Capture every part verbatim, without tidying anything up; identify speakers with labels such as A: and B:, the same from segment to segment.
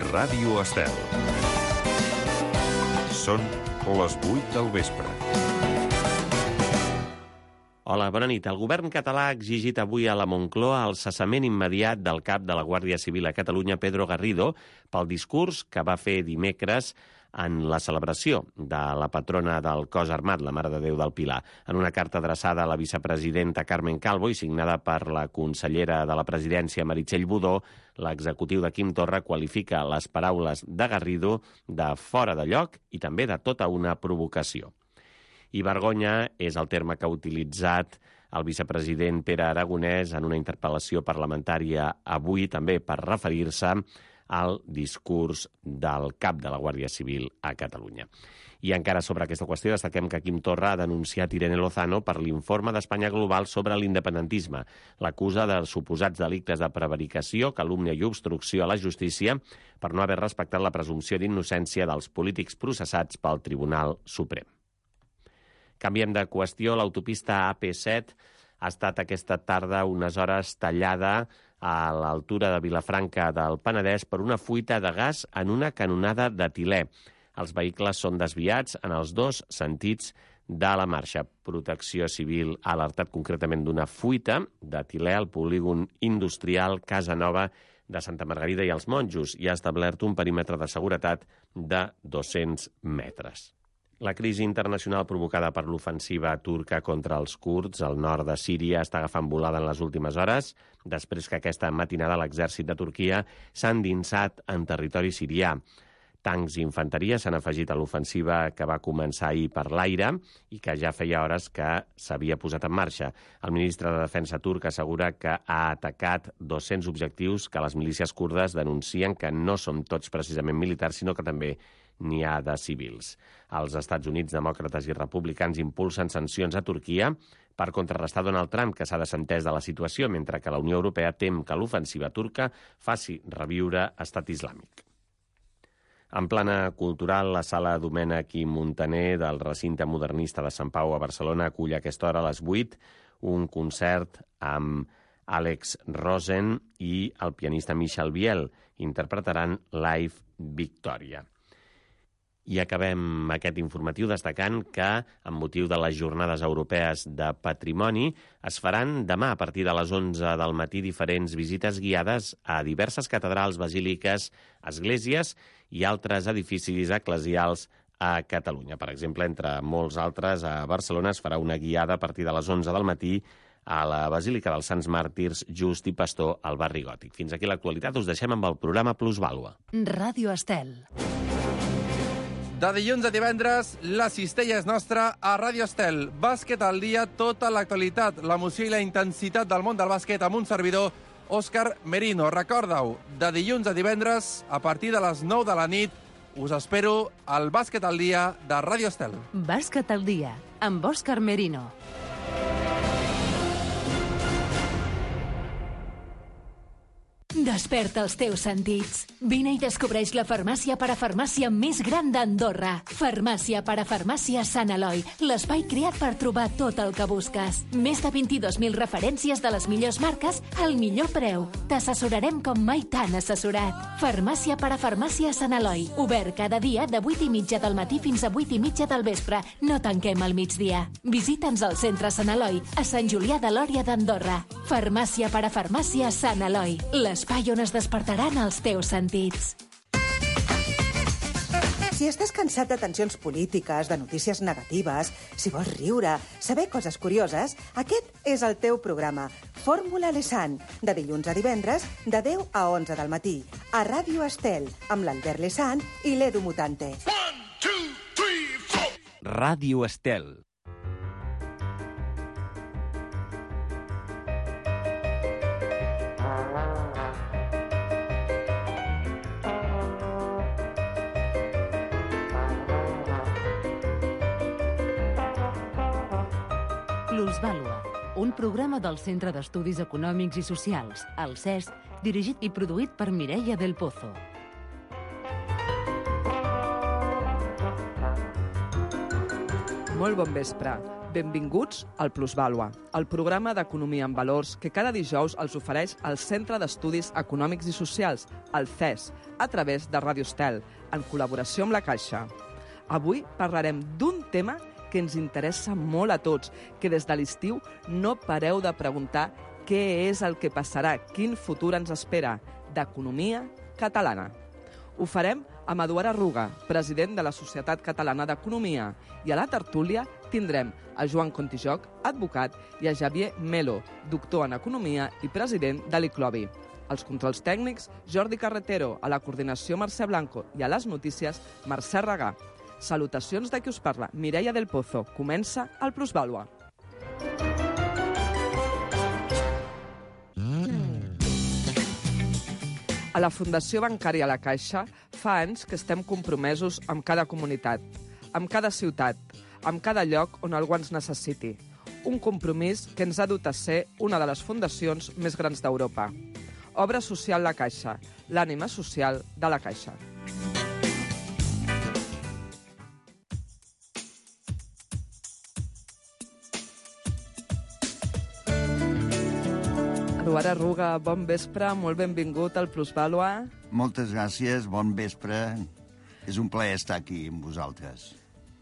A: Ràdio Estel. Són les vuit del vespre.
B: Hola, bona nit. El govern català ha exigit avui a la Moncloa el cessament immediat del cap de la Guàrdia Civil a Catalunya, Pedro Garrido, pel discurs que va fer dimecres en la celebració de la patrona del cos armat, la Mare de Déu del Pilar. En una carta adreçada a la vicepresidenta Carmen Calvo i signada per la consellera de la presidència Meritxell Budó, l'executiu de Quim Torra qualifica les paraules de Garrido de fora de lloc i també de tota una provocació. I vergonya és el terme que ha utilitzat el vicepresident Pere Aragonès en una interpel·lació parlamentària avui també per referir-se al discurs del cap de la Guàrdia Civil a Catalunya. I encara sobre aquesta qüestió destaquem que Quim Torra ha denunciat Irene Lozano per l'informe d'Espanya Global sobre l'independentisme. L'acusa de suposats delictes de prevaricació, calúmnia i obstrucció a la justícia per no haver respectat la presumpció d'innocència dels polítics processats pel Tribunal Suprem. Canviem de qüestió. L'autopista A P set ha estat aquesta tarda unes hores tallada a l'altura de Vilafranca del Penedès per una fuita de gas en una canonada d'etilè. Els vehicles són desviats en els dos sentits de la marxa. Protecció Civil ha alertat concretament d'una fuita d'etilè al polígon industrial Casa Nova de Santa Margarida i els Monjos i ha establert un perímetre de seguretat de dos-cents metres. La crisi internacional provocada per l'ofensiva turca contra els kurds al nord de Síria està agafant volada en les últimes hores, després que aquesta matinada l'exèrcit de Turquia s'ha endinsat en territori sirià. Tancs i infanteria s'han afegit a l'ofensiva que va començar ahir per l'aire i que ja feia hores que s'havia posat en marxa. El ministre de Defensa turc assegura que ha atacat dos-cents objectius que les milícies kurdes denuncien que no són tots precisament militars, sinó que també n'hi ha de civils. Els Estats Units, demòcrates i republicans impulsen sancions a Turquia per contrarrestar Donald Trump, que s'ha desentès de la situació, mentre que la Unió Europea tem que l'ofensiva turca faci reviure Estat Islàmic. En plana cultural, la sala Domènech i Muntaner del recinte modernista de Sant Pau a Barcelona acull a aquesta hora a les vuit un concert amb Àlex Rosen i el pianista Michel Biel. Interpretaran Live Victoria. I acabem aquest informatiu destacant que, amb motiu de les Jornades Europees de Patrimoni, es faran demà a partir de les onze del matí diferents visites guiades a diverses catedrals, basíliques, esglésies i altres edificis eclesials a Catalunya. Per exemple, entre molts altres, a Barcelona es farà una guiada a partir de les onze del matí a la Basílica dels Sants Màrtirs Just i Pastor al barri Gòtic. Fins aquí l'actualitat, us deixem amb el programa Plusvàlua.
C: Ràdio Estel.
D: De dilluns a divendres, la cistella és nostra a Ràdio Estel. Bàsquet al dia, tota l'actualitat, l'emoció i la intensitat del món del bàsquet amb un servidor, Òscar Merino. Recorda-ho, de dilluns a divendres, a partir de les nou de la nit, us espero al Bàsquet al dia de Ràdio Estel.
C: Bàsquet al dia, amb Òscar Merino. Desperta els teus sentits. Vine i descobreix la farmàcia parafarmàcia més gran d'Andorra. Farmàcia parafarmàcia Sant Eloi, l'espai creat per trobar tot el que busques. Més de vint-i-dos mil referències de les millors marques al millor preu. T'assessorarem com mai t'han assessorat. Farmàcia parafarmàcia Sant Eloi, obert cada dia de vuit i mitja del matí fins a vuit i mitja del vespre. No tanquem al migdia. Visita'ns al centre Sant Eloi, a Sant Julià de Lòria d'Andorra. Farmàcia parafarmàcia Sant Eloi, l'espai on es despertaran els teus sentits.
E: Si estàs cansat de tensions polítiques, de notícies negatives, si vols riure, saber coses curioses, aquest és el teu programa. Fórmula Lesan, de dilluns a divendres, de deu a onze del matí, a Ràdio Estel, amb l'Albert Lesan i l'Edu Mutante.
A: One, two, three, four.
B: Ràdio Estel.
C: Plusvàlua, un programa del Centre d'Estudis Econòmics i Socials, el C E S, dirigit i produït per Mireia del Pozo.
F: Molt bon vespre. Benvinguts al Plusvàlua, el programa d'economia en valors que cada dijous els ofereix el Centre d'Estudis Econòmics i Socials, el C E S, a través de Ràdio Estel, en col·laboració amb la Caixa. Avui parlarem d'un tema que ens interessa molt a tots, que des de l'estiu no pareu de preguntar què és el que passarà, quin futur ens espera, d'economia catalana. Ho farem amb Eduard Arruga, president de la Societat Catalana d'Economia, i a la tertúlia tindrem a Joan Contijoc, advocat, i a Xavier Melo, doctor en Economia i president de l'I C L O B I. Als controls tècnics, Jordi Carretero, a la coordinació Mercè Blanco i a les notícies Mercè Regà. Salutacions de qui us parla, Mireia del Pozo. Comença el Plusvàlua. A la Fundació Bancària La Caixa fa anys que estem compromesos amb cada comunitat, amb cada ciutat, amb cada lloc on algú ens necessiti. Un compromís que ens ha dut a ser una de les fundacions més grans d'Europa. Obra Social La Caixa, l'ànima social de la Caixa. Eduard Arruga, bon vespre, molt benvingut al Plusvàlua.
G: Moltes gràcies, bon vespre. És un plaer estar aquí amb vosaltres.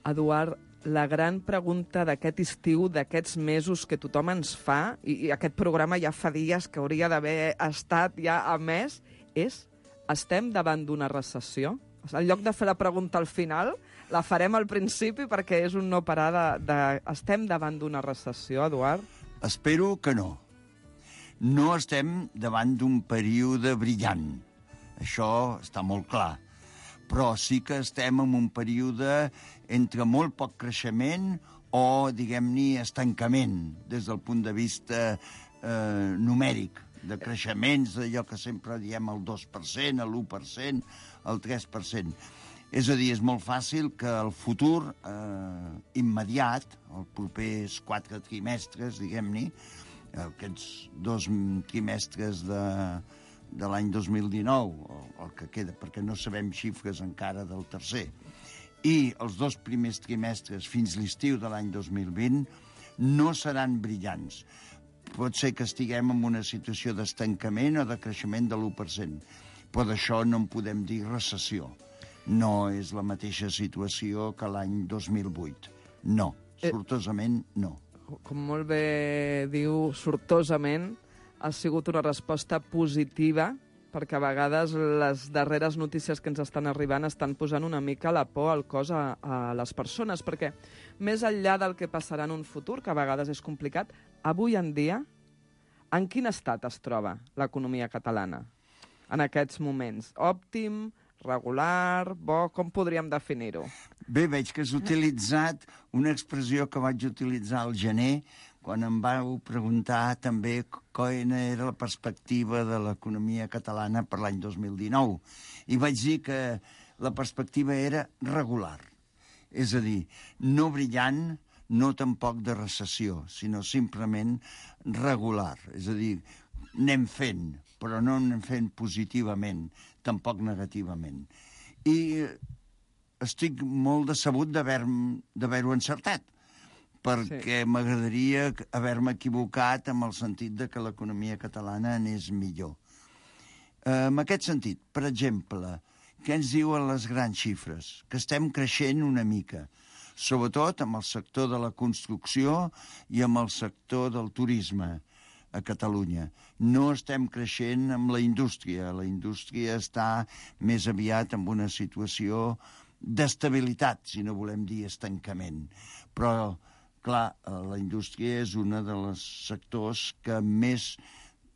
F: Eduard, la gran pregunta d'aquest estiu, d'aquests mesos que tothom ens fa, i, i aquest programa ja fa dies que hauria d'haver estat ja a mes, és: estem davant d'una recessió? En lloc de fer la pregunta al final, la farem al principi perquè és un no parar de... de... Estem davant d'una recessió, Eduard?
G: Espero que no. No estem davant d'un període brillant. Això està molt clar. Però sí que estem en un període entre molt poc creixement o, diguem-ne, estancament, des del punt de vista eh, numèric, de creixements, d'allò que sempre diem el dos per cent, l'u per cent, el tres per cent. És a dir, és molt fàcil que el futur eh, immediat, els propers quatre trimestres, diguem-ne, aquests dos trimestres de, de l'any dos mil dinou, el que queda, perquè no sabem xifres encara del tercer, i els dos primers trimestres fins l'estiu de l'any dos mil vint no seran brillants. Pot ser que estiguem en una situació d'estancament o de creixement de l'u per cent, però d'això no en podem dir recessió. No és la mateixa situació que l'any dos mil vuit. No, sortosament no.
F: Com molt bé diu, sortosament, ha sigut una resposta positiva, perquè a vegades les darreres notícies que ens estan arribant estan posant una mica la por al cos a, a les persones, perquè més enllà del que passarà en un futur, que a vegades és complicat, avui en dia, en quin estat es troba l'economia catalana en aquests moments? Òptim, regular, bo, com podríem definir-ho?
G: Bé, veig que has utilitzat una expressió que vaig utilitzar al gener, quan em vau preguntar també quina era la perspectiva de l'economia catalana per l'any dos mil dinou. I vaig dir que la perspectiva era regular. És a dir, no brillant, no tampoc de recessió, sinó simplement regular. És a dir, anem fent, però no anem fent positivament, tampoc negativament. I estic molt decebut d'haver-ho encertat, perquè sí. M'agradaria haver-me equivocat amb el sentit de que l'economia catalana anés millor. En aquest sentit, per exemple, què ens diuen les grans xifres? Que estem creixent una mica, sobretot amb el sector de la construcció i amb el sector del turisme a Catalunya. No estem creixent amb la indústria. La indústria està més aviat en una situació d'estabilitat, si no volem dir estancament. Però, clar, la indústria és un dels sectors que més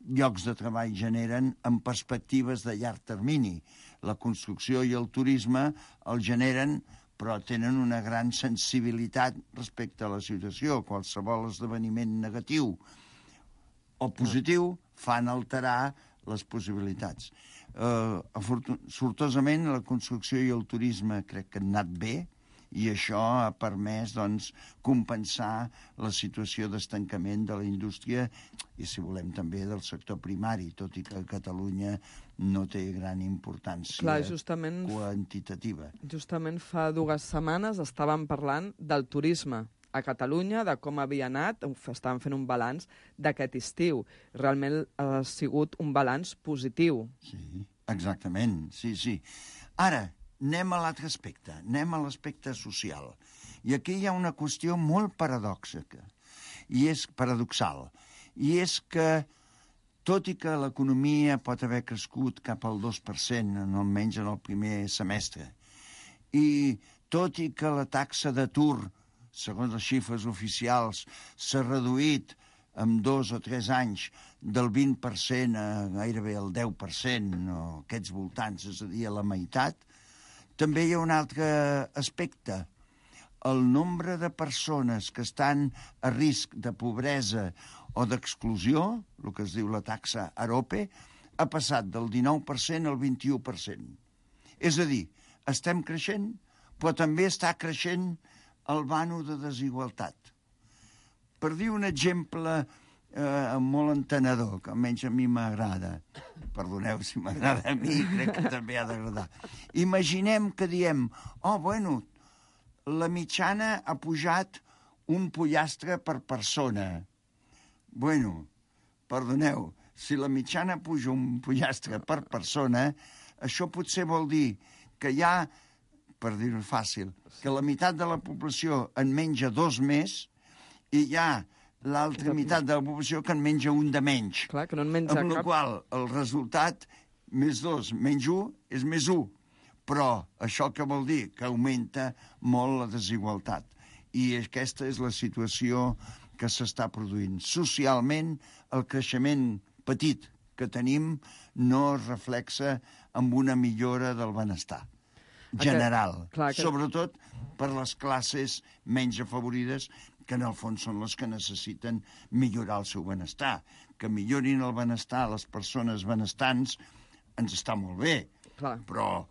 G: llocs de treball generen en perspectives de llarg termini. La construcció i el turisme el generen, però tenen una gran sensibilitat respecte a la situació. Qualsevol esdeveniment negatiu o positiu fan alterar les possibilitats. Uh, sortosament, la construcció i el turisme crec que han anat bé, i això ha permès doncs, compensar la situació d'estancament de la indústria i, si volem, també del sector primari, tot i que a Catalunya no té gran importància
F: Clar, justament,
G: quantitativa.
F: Justament fa dues setmanes estàvem parlant del turisme a Catalunya de com havia anat, estaven fent un balanç d'aquest estiu. Realment ha sigut un balanç positiu.
G: Sí, exactament, sí, sí. Ara, anem a l'altre aspecte, anem a l'aspecte social. I aquí hi ha una qüestió molt paradoxica, i és paradoxal, i és que, tot i que l'economia pot haver crescut cap al dos per cent, almenys en el primer semestre, i tot i que la taxa d'atur, segons les xifres oficials, s'ha reduït en dos o tres anys del vint per cent a gairebé el deu per cent, o aquests voltants, és a dir, a la meitat, també hi ha un altre aspecte. El nombre de persones que estan a risc de pobresa o d'exclusió, el que es diu la taxa AROPE, ha passat del dinou per cent al vint-i-u per cent. És a dir, estem creixent, però també està creixent el vano de desigualtat. Per dir un exemple eh, molt entenedor, que almenys a mi m'agrada, perdoneu si m'agrada a mi, crec que també ha d'agradar. Imaginem que diem, oh, bueno, la mitjana ha pujat un pollastre per persona. Bueno, perdoneu, si la mitjana puja un pollastre per persona, això potser vol dir que hi ha, per dir-ho fàcil, que la meitat de la població en menja dos més i hi ha l'altra meitat de la població que en menja un de menys.
F: Clar, que no en menja
G: amb
F: cap.
G: la qual el resultat, més dos, menys un, és més un. Però això què vol dir? Que augmenta molt la desigualtat. I aquesta és la situació que s'està produint. Socialment, el creixement petit que tenim no es reflexa amb una millora del benestar general.
F: Aquest, clar, que...
G: Sobretot per les classes menys afavorides, que en el fons són les que necessiten millorar el seu benestar. Que millorin el benestar a les persones benestants ens està molt bé,
F: clar.
G: Però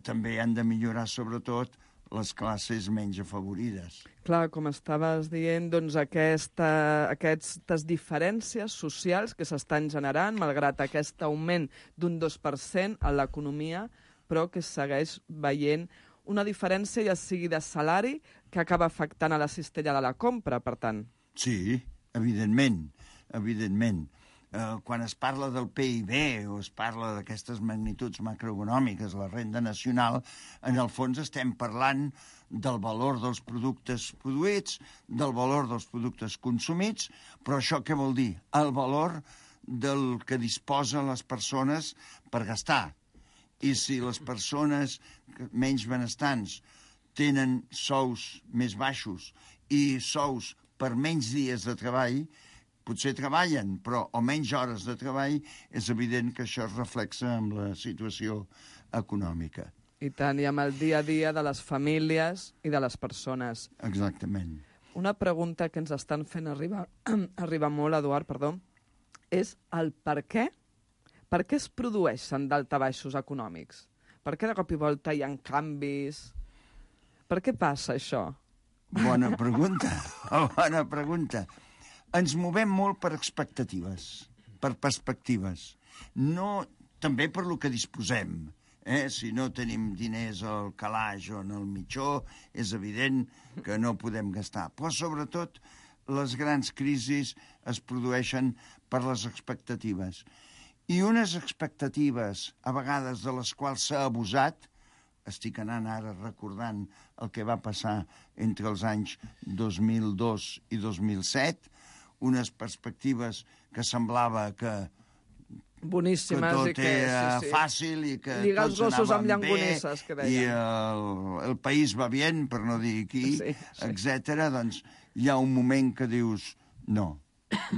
G: també han de millorar, sobretot, les classes menys afavorides.
F: Clar, com estaves dient, doncs aquesta, aquestes diferències socials que s'estan generant, malgrat aquest augment d'un dos per cent a l'economia, però que segueix veient una diferència, ja sigui de salari, que acaba afectant a la cistella de la compra, per tant.
G: Sí, evidentment, evidentment. Eh, quan es parla del P I B o es parla d'aquestes magnituds macroeconòmiques, la renda nacional, en el fons estem parlant del valor dels productes produïts, del valor dels productes consumits, però això què vol dir? El valor del que disposen les persones per gastar. I si les persones menys benestants tenen sous més baixos i sous per menys dies de treball, potser treballen, però o menys hores de treball, és evident que això es reflexa en la situació econòmica.
F: I tant, i amb el dia a dia de les famílies i de les persones.
G: Exactament.
F: Una pregunta que ens estan fent arribar, arribar molt, Eduard, perdó, és el per què? Per què es produeixen daltabaixos econòmics? Per què de cop i volta hi ha canvis? Per què passa això?
G: Bona pregunta, bona pregunta. Ens movem molt per expectatives, per perspectives. No, també per lo que disposem. Eh? Si no tenim diners al calaix o en el mitjó, és evident que no podem gastar. Però, sobretot, les grans crisis es produeixen per les expectatives. I unes expectatives, a vegades de les quals s'ha abusat, estic anant ara recordant el que va passar entre els anys dos mil dos i dos mil set, unes perspectives que semblava que,
F: boníssimes,
G: que tot
F: i que,
G: era
F: sí, sí.
G: fàcil i que
F: lligar els
G: tots
F: gossos amb
G: anaven bé
F: llangonisses, que
G: i
F: deien.
G: el, el país va bien, per no dir qui,
F: Sí, sí.
G: etcètera. Doncs hi ha un moment que dius no,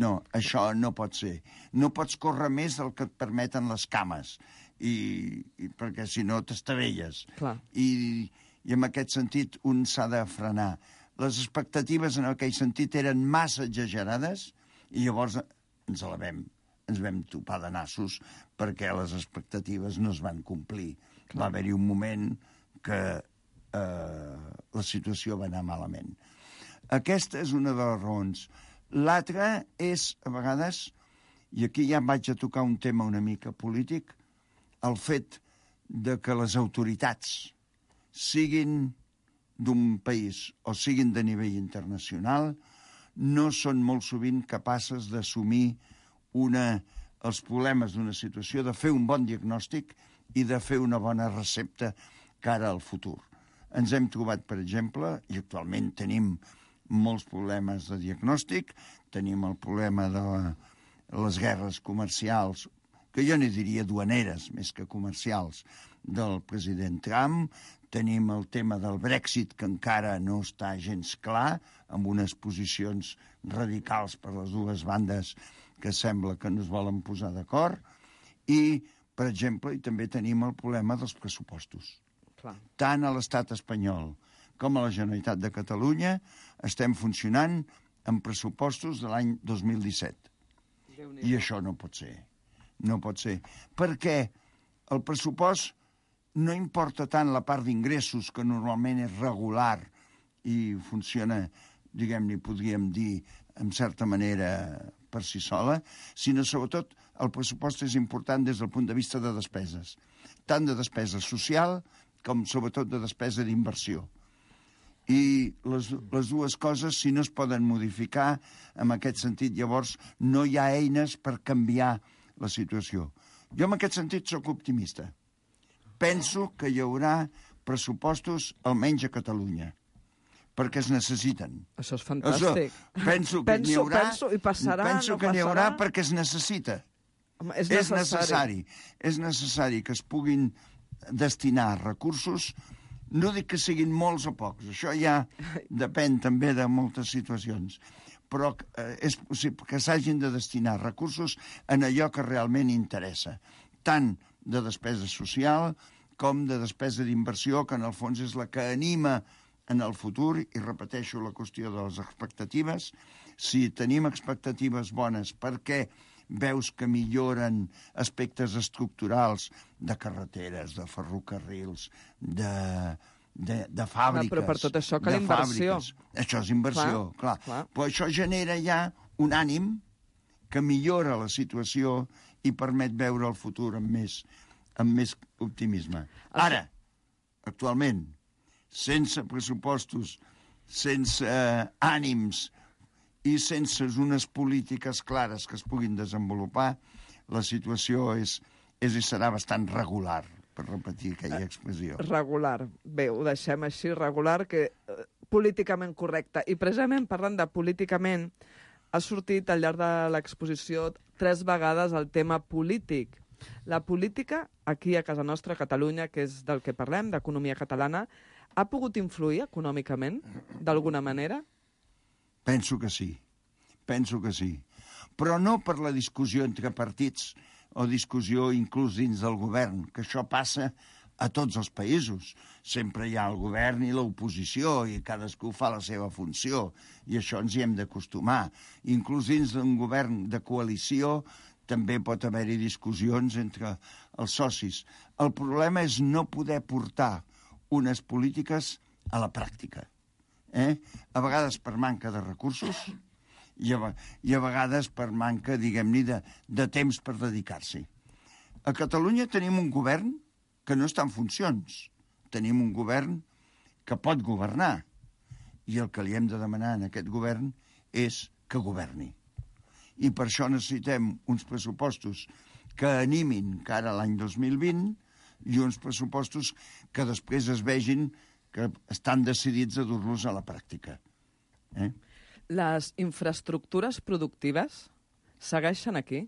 G: no, això no pot ser. No pots córrer més del que et permeten les cames, i, i perquè si no t'estavelles.
F: Clar.
G: I, I en aquest sentit un s'ha de frenar. Les expectatives en aquell sentit eren massa exagerades i llavors ens la vam, ens vam topar de nassos perquè les expectatives no es van complir. Clar. Va haver-hi un moment que eh, la situació va anar malament. Aquesta és una de les raons. L'altra és, a vegades, i aquí ja vaig a tocar un tema una mica polític, el fet de que les autoritats siguin d'un país o siguin de nivell internacional no són molt sovint capaces d'assumir una, els problemes d'una situació, de fer un bon diagnòstic i de fer una bona recepta cara al futur. Ens hem trobat, per exemple, i actualment tenim molts problemes de diagnòstic, tenim el problema de la, les guerres comercials, que jo n'hi diria duaneres més que comercials, del president Trump, tenim el tema del Brexit, que encara no està gens clar, amb unes posicions radicals per les dues bandes que sembla que no es volen posar d'acord, i, per exemple, i també tenim el problema dels pressupostos.
F: Clar.
G: Tant a l'estat espanyol com a la Generalitat de Catalunya estem funcionant amb pressupostos de l'any dos mil disset. I això no pot ser. No pot ser. Perquè el pressupost no importa tant la part d'ingressos, que normalment és regular i funciona, diguem-ne, podríem dir, en certa manera per si sola, sinó sobretot el pressupost és important des del punt de vista de despeses, tant de despesa social com sobretot de despesa d'inversió. I les, les dues coses, si no es poden modificar, en aquest sentit, llavors no hi ha eines per canviar la situació. Jo en aquest sentit sóc optimista. Penso que hi haurà pressupostos almenys a Catalunya, perquè es necessiten.
F: Això és fantàstic.
G: Això, penso que
F: penso,
G: n'hi haurà,
F: penso, i passarà,
G: penso
F: no
G: que n'hi haurà
F: passarà?
G: perquè es necessita.
F: Home, és,
G: És
F: necessari.
G: necessari. És necessari que es puguin destinar recursos, no dic que siguin molts o pocs, això ja depèn també de moltes situacions, però eh, és possible que s'hagin de destinar recursos en allò que realment interessa, tant de despesa social com de despesa d'inversió, que en el fons és la que anima en el futur, i repeteixo la qüestió de les expectatives. Si tenim expectatives bones perquè veus que milloren aspectes estructurals de carreteres, de ferrocarrils, de, de, de fàbriques...
F: Però per tot això cal
G: de
F: inversió.
G: fàbriques. Això és inversió, clar, clar. clar. Però això genera ja un ànim que millora la situació i permet veure el futur amb més, amb més optimisme. Ara, actualment, sense pressupostos, sense eh, ànims i sense unes polítiques clares que es puguin desenvolupar, la situació és, és i serà bastant regular, per repetir aquella expressió.
F: Regular. Bé, ho deixem així, regular, que eh, políticament correcte. I precisament parlant de políticament, ha sortit al llarg de l'exposició tres vegades el tema polític. La política, aquí a casa nostra, a Catalunya, que és del que parlem, d'economia catalana, ha pogut influir econòmicament, d'alguna manera?
G: Penso que sí, penso que sí. Però no per la discussió entre partits o discussió inclús dins del govern, que això passa a tots els països. Sempre hi ha el govern i l'oposició i cadascú fa la seva funció i això ens hi hem d'acostumar. Inclús dins d'un govern de coalició també pot haver-hi discussions entre els socis. El problema és no poder portar unes polítiques a la pràctica. Eh? A vegades per manca de recursos i a, i a vegades per manca, diguem-ne, de, de temps per dedicar-s'hi. A Catalunya tenim un govern que no està en funcions. Tenim un govern que pot governar. I el que li hem de demanar a aquest govern és que governi. I per això necessitem uns pressupostos que animin cara a l'any dos mil vint i uns pressupostos que després es vegin que estan decidits a dur-los a la pràctica. Eh?
F: Les infraestructures productives segueixen aquí?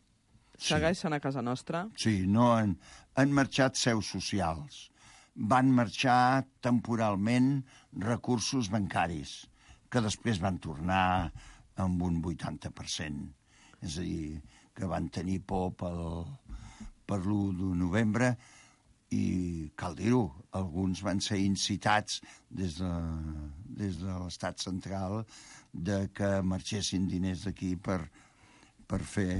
F: Segueixen sí. a casa nostra?
G: Sí, no han, han marxat seus socials. Van marxar temporalment recursos bancaris, que després van tornar amb un vuitanta per cent. És a dir, que van tenir por pel, per l'u de novembre i, cal dir-ho, alguns van ser incitats des de, des de l'estat central de que marxessin diners d'aquí per, per fer...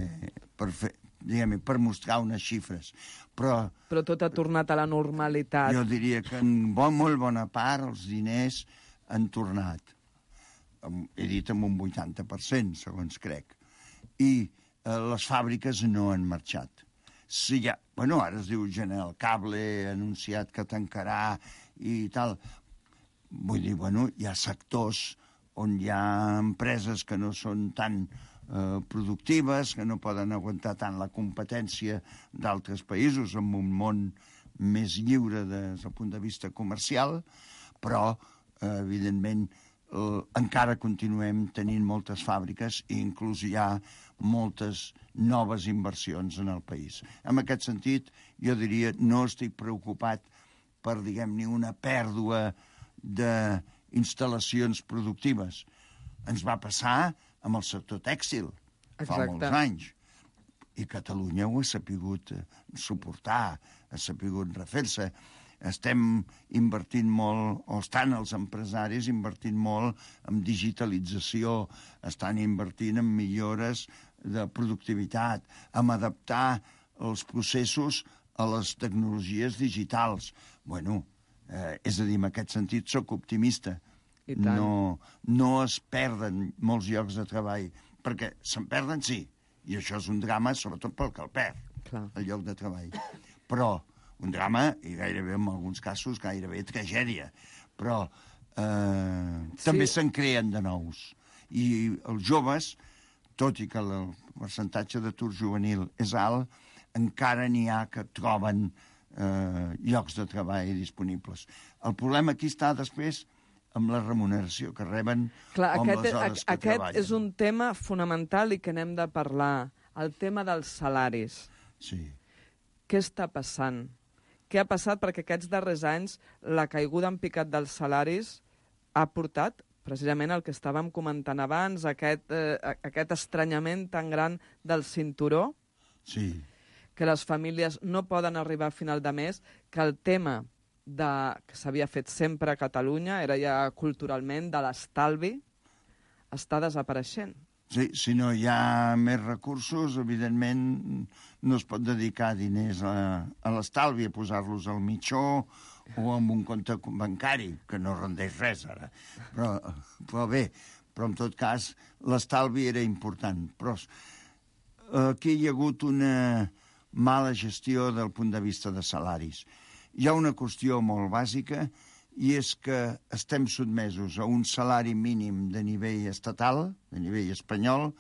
G: Per fer diguem-ne, per mostrar unes xifres. Però,
F: Però tot ha tornat a la normalitat.
G: Jo diria que en bon, molt bona part els diners han tornat. He dit amb un vuitanta per cent, segons crec. I eh, les fàbriques no han marxat. Si ja, bueno, ara es diu General Cable, ha anunciat que tancarà i tal. vull dir, bueno, hi ha sectors on hi ha empreses que no són tan eh, productives, que no poden aguantar tant la competència d'altres països en un món més lliure des del punt de vista comercial, però, eh, evidentment, eh, encara continuem tenint moltes fàbriques i inclús hi ha moltes noves inversions en el país. En aquest sentit, jo diria, no estic preocupat per, diguem-ne, una pèrdua d'instal·lacions productives. Ens va passar amb el sector tèxtil fa
F: Exacte.
G: molts anys. I Catalunya ho ha sapigut suportar, ha sapigut refer-se. Estem invertint molt, o estan els empresaris invertint molt en digitalització, estan invertint en millores de productivitat, en adaptar els processos a les tecnologies digitals. Bueno, eh, és a dir, en aquest sentit soc optimista.
F: I tant.
G: No, no es perden molts llocs de treball, perquè se'n perden, sí, i això és un drama, sobretot pel que el perd,
F: Clar.
G: el lloc de treball. Però un drama, i gairebé en alguns casos gairebé tragèdia, però eh,
F: Sí.
G: també se'n creen de nous. I els joves, tot i que el percentatge d'atur juvenil és alt, encara n'hi ha que troben eh, llocs de treball disponibles. El problema aquí està després amb la remuneració que reben
F: Clar,
G: o amb
F: aquest,
G: les hores que
F: aquest
G: treballen.
F: és un tema fonamental i que n'hem de parlar. El tema dels salaris.
G: Sí.
F: Què està passant? Què ha passat? Perquè aquests darrers anys la caiguda en picat dels salaris ha portat precisament el que estàvem comentant abans, aquest, eh, aquest estranyament tan gran del cinturó,
G: Sí.
F: que les famílies no poden arribar a final de mes, que el tema de, que s'havia fet sempre a Catalunya, era ja culturalment de l'estalvi, està desapareixent.
G: Sí, si no hi ha més recursos, evidentment no es pot dedicar diners a, a l'estalvi, a posar-los al mitjó o en un compte bancari, que no rendeix res ara. Però, però bé, però en tot cas l'estalvi era important. Però aquí hi ha hagut una mala gestió del punt de vista de salaris. Hi ha una qüestió molt bàsica i és que estem sotmesos a un salari mínim de nivell estatal, de nivell espanyol,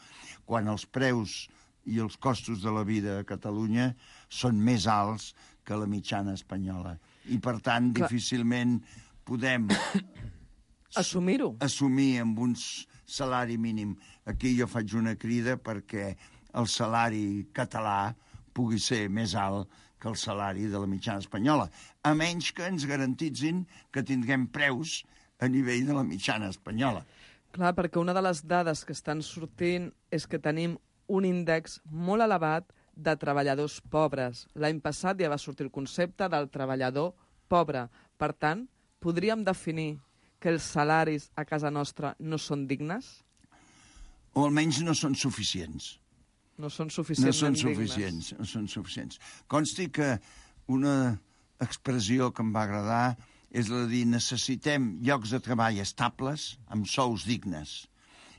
G: quan els preus i els costos de la vida a Catalunya són més alts que la mitjana espanyola. I, per tant,
F: Clar.
G: difícilment podem
F: Assumir-ho.
G: assumir amb un salari mínim. Aquí jo faig una crida perquè el salari català pugui ser més alt que el salari de la mitjana espanyola, a menys que ens garantitzin que tindrem preus a nivell de la mitjana espanyola.
F: Clar, perquè una de les dades que estan sortint és que tenim un índex molt elevat de treballadors pobres. L'any passat ja va sortir el concepte del treballador pobre. Per tant, podríem definir que els salaris a casa nostra no són dignes?
G: O almenys no són suficients.
F: No són
G: No
F: suficientment
G: són
F: dignes.
G: suficients, no són suficients. Consti que una expressió que em va agradar és la de dir necessitem llocs de treball estables amb sous dignes.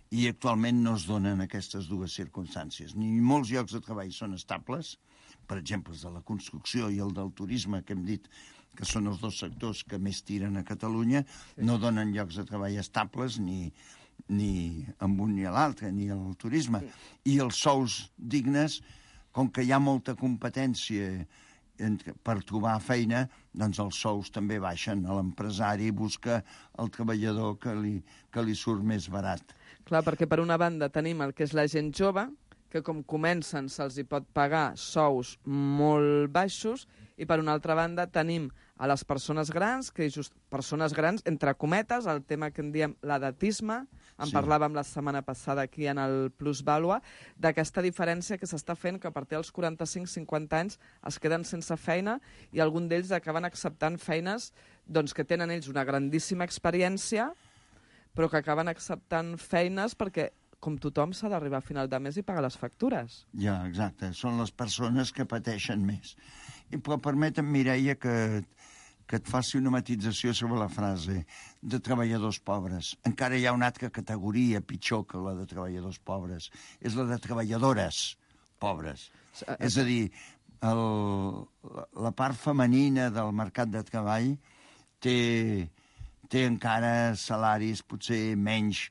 G: I actualment no es donen aquestes dues circumstàncies. Ni molts llocs de treball són estables, per exemple, els de la construcció i el del turisme, que hem dit que són els dos sectors que més tiren a Catalunya, sí. no donen llocs de treball estables ni, ni amb un ni a l'altre, ni al turisme. I els sous dignes, com que hi ha molta competència per trobar feina, doncs els sous també baixen. L'empresari busca el treballador que li, que li surt més barat.
F: Clar, perquè per una banda tenim el que és la gent jove, que com comencen se'ls hi pot pagar sous molt baixos, i per una altra banda tenim a les persones grans, que just persones grans, entre cometes, el tema que en diem l'edatisme, en
G: Sí.
F: parlàvem la setmana passada aquí en el Plusvàlua, d'aquesta diferència que s'està fent que a partir dels quaranta-cinc cinquanta anys es queden sense feina i algun d'ells acaben acceptant feines doncs, que tenen ells una grandíssima experiència, però que acaben acceptant feines perquè, com tothom, s'ha d'arribar a final de mes i pagar les factures.
G: Ja, exacte. Són les persones que pateixen més. I, però permetem, Mireia, que, que et faci una matització sobre la frase de treballadors pobres. Encara hi ha una altra categoria pitjor que la de treballadors pobres. És la de treballadores pobres. És a dir, el, la, la part femenina del mercat de treball té, té encara salaris potser menys,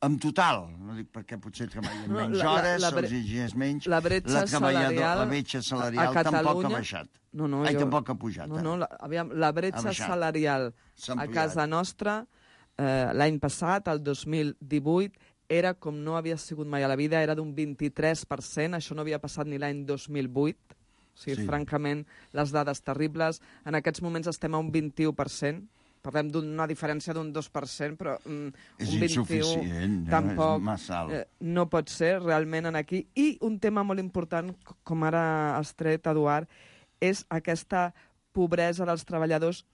G: en total, no dic perquè potser treballen
F: No,
G: menys
F: la- la-
G: hores,
F: la
G: se'ls
F: bre-
G: exigeix menys,
F: la bretxa
G: la treballador-
F: salarial
G: la bretxa
F: a
G: salarial tampoc ha
F: Catalunya-
G: baixat.
F: No, no,
G: Ai,
F: jo-
G: tampoc ha pujat.
F: No,
G: eh?
F: no, la, aviam, la
G: Ha
F: bretxa
G: baixat.
F: salarial
G: S'ha
F: a
G: ampliat.
F: casa nostra eh, l'any passat, el dos mil divuit, era com no havia sigut mai a la vida, era d'un vint-i-tres per cent, això no havia passat ni l'any dos mil vuit, o sigui,
G: Sí.
F: francament, les dades terribles. En aquests moments estem a un vint-i-u per cent, parlem d'una diferència d'un dos per cent, però mm,
G: És
F: un vint-i-u
G: insuficient, eh?
F: tampoc
G: És massa alt.
F: eh, no pot ser realment en aquí. I un tema molt important, c- com ara has tret, Eduard, és aquesta pobresa dels treballadors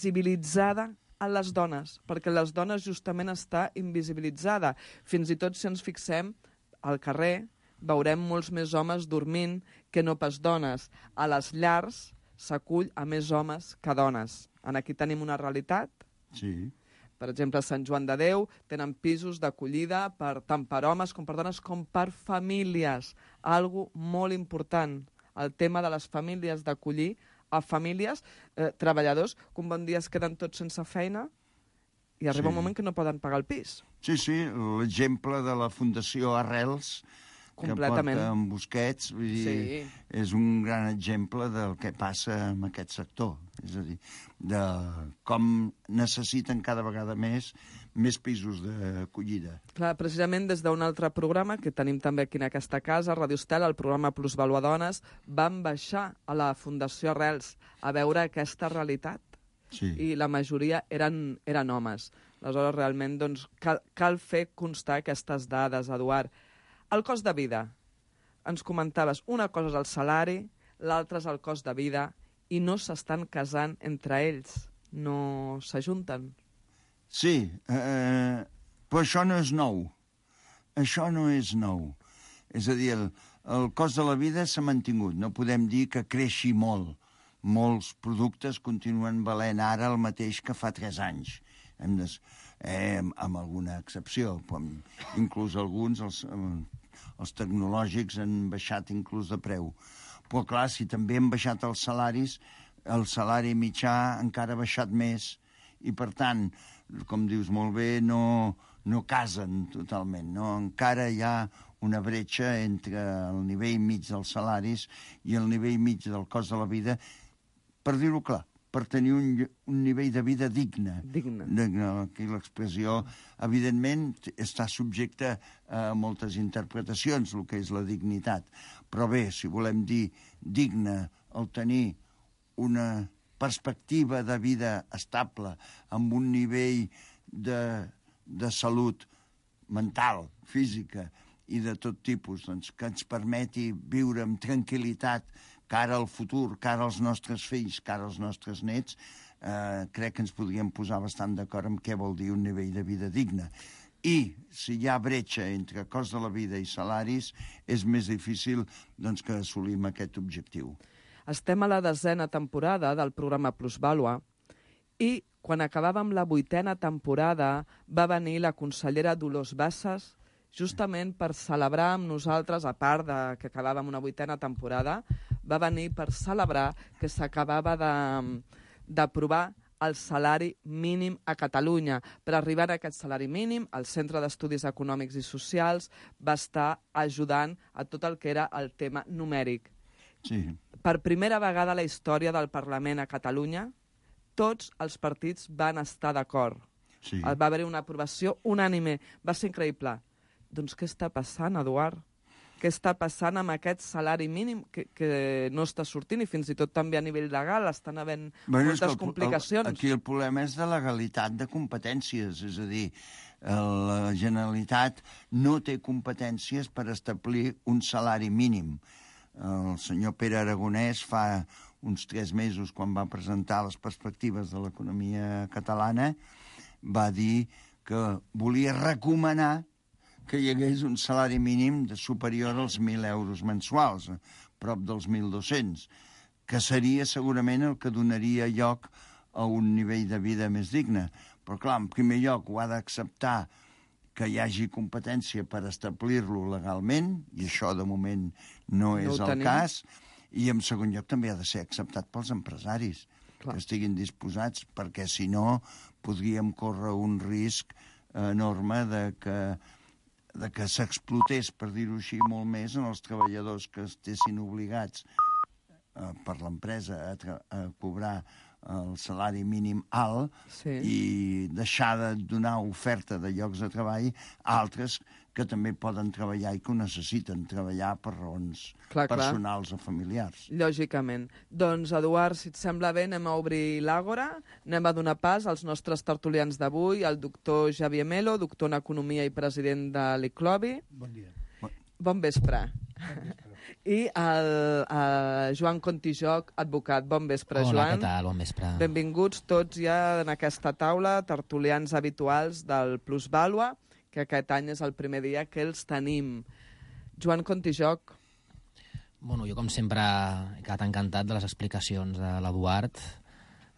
F: invisibilitzada a les dones, perquè les dones justament està invisibilitzada. Fins i tot si ens fixem al carrer, veurem molts més homes dormint que no pas dones. A les llars s'acull a més homes que dones. En aquí tenim una realitat.
G: Sí.
F: Per exemple, a Sant Joan de Déu tenen pisos d'acollida per, tant per homes com per dones com per famílies. Algo molt important, el tema de les famílies, d'acollir a famílies, eh, treballadors, que un bon dia es queden tots sense feina i arriba
G: Sí.
F: un moment que no poden pagar el pis.
G: Sí, sí, l'exemple de la Fundació Arrels,
F: Completament.
G: que porta en Busquets, vull dir,
F: Sí.
G: és un gran exemple del que passa en aquest sector. És a dir, de com necessiten cada vegada més més pisos d'acollida.
F: Clar, precisament des d'un altre programa que tenim també aquí en aquesta casa, Radio Estel, el programa Plusvalua Dones, vam baixar a la Fundació Arrels a veure aquesta realitat
G: Sí.
F: i la majoria eren, eren homes. Aleshores, realment, doncs, cal, cal fer constar aquestes dades, Eduard. El cost de vida. Ens comentaves, una cosa és el salari, l'altra és el cost de vida, i no s'estan casant entre ells. No s'ajunten.
G: Sí, eh, però això no és nou. Això no és nou. És a dir, el, el cost de la vida s'ha mantingut. No podem dir que creixi molt. Molts productes continuen valent ara el mateix que fa tres anys. Hem de, eh, amb, amb alguna excepció. Però inclús alguns, els, els tecnològics, han baixat inclús de preu. Però, clar, si també han baixat els salaris, el salari mitjà encara ha baixat més i, per tant, com dius molt bé, no, no casen totalment. No? Encara hi ha una bretxa entre el nivell mig dels salaris i el nivell mig del cost de la vida, per dir-ho clar, per tenir un, un nivell de vida digne.
F: Digne.
G: digne. Aquí l'expressió, evidentment, està subjecta a moltes interpretacions, el que és la dignitat. Però bé, si volem dir digne, el tenir una perspectiva de vida estable, amb un nivell de, de salut mental, física i de tot tipus, doncs, que ens permeti viure amb tranquil·litat cara al futur, cara als nostres fills, cara als nostres nets, eh, crec que ens podríem posar bastant d'acord amb què vol dir un nivell de vida digne. I si hi ha bretxa entre cost de la vida i salaris, és més difícil doncs, que assolim aquest objectiu.
F: Estem a la desena temporada del programa Plusvàlua i quan acabàvem la vuitena temporada va venir la consellera Dolors Bassas justament per celebrar amb nosaltres, a part de que acabàvem una vuitena temporada, va venir per celebrar que s'acabava de- d'aprovar el salari mínim a Catalunya. Per arribar a aquest salari mínim, el Centre d'Estudis Econòmics i Socials va estar ajudant a tot el que era el tema numèric.
G: Sí.
F: Per primera vegada a la història del Parlament a Catalunya, tots els partits van estar d'acord.
G: Sí.
F: Va haver-hi una aprovació unànime. Va ser increïble. Doncs què està passant, Eduard? Què està passant amb aquest salari mínim que, que no està sortint i fins i tot també a nivell legal estan havent
G: Bueno, és que
F: moltes
G: el-
F: complicacions?
G: El, aquí el problema és de legalitat de competències, és a dir, el- la Generalitat no té competències per establir un salari mínim. El senyor Pere Aragonès fa uns tres mesos, quan va presentar les perspectives de l'economia catalana, va dir que volia recomanar que hi hagués un salari mínim de superior als mil euros mensuals, a prop dels mil dos-cents, que seria segurament el que donaria lloc a un nivell de vida més digne. Però, clar, en primer lloc ho ha d'acceptar que hi hagi competència per establir-lo legalment, i això de moment no és
F: ho
G: el
F: tenim.
G: cas, i en segon lloc també ha de ser acceptat pels empresaris. que estiguin disposats, perquè si no podríem córrer un risc enorme de que de que s'explotés, per dir-ho així, molt més en els treballadors que estessin obligats eh, per l'empresa a, a cobrar el salari mínim alt
F: Sí.
G: i deixar de donar oferta de llocs de treball a altres que també poden treballar i que ho necessiten treballar per raons
F: Clar, clar.
G: personals o familiars.
F: Lògicament. Doncs, Eduard, si et sembla bé, anem a obrir l'àgora, anem a donar pas als nostres tertulians d'avui, el doctor Xavier Melo, doctor en Economia i president de l'I C L O B I.
H: Bon dia.
F: Bon vespre. I el, el Joan Contijoc, advocat. Bon vespre,
I: Hola,
F: Joan.
I: què tal? Bon vespre.
F: Benvinguts tots ja en aquesta taula, tertulians habituals del Plusvàlua, que aquest any és el primer dia que els tenim. Joan Contijoc.
I: Bueno, jo, com sempre, he quedat encantat de les explicacions de l'Eduard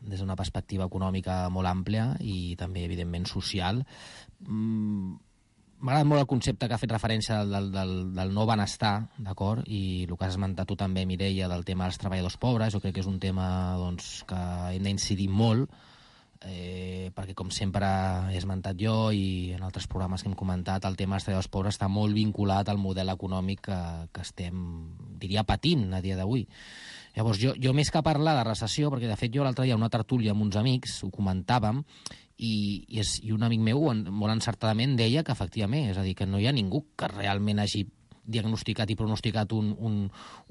I: des d'una perspectiva econòmica molt àmplia i també, evidentment, social. Mm, M'ha agradat molt el concepte que ha fet referència del, del, del no benestar, d'acord? I el que has esmentat tu també, Mireia, del tema dels treballadors pobres. Jo crec que és un tema doncs, que hem d'incidir molt, eh, perquè, com sempre he esmentat jo i en altres programes que hem comentat, el tema dels treballadors pobres està molt vinculat al model econòmic que, que estem, diria, patint a dia d'avui. Llavors, jo, jo més que parlar de recessió, perquè de fet jo l'altre dia una tertúlia amb uns amics, ho comentàvem, i, i, és, i un amic meu molt encertadament deia que efectivament, és a dir, que no hi ha ningú que realment hagi diagnosticat i pronosticat un, un,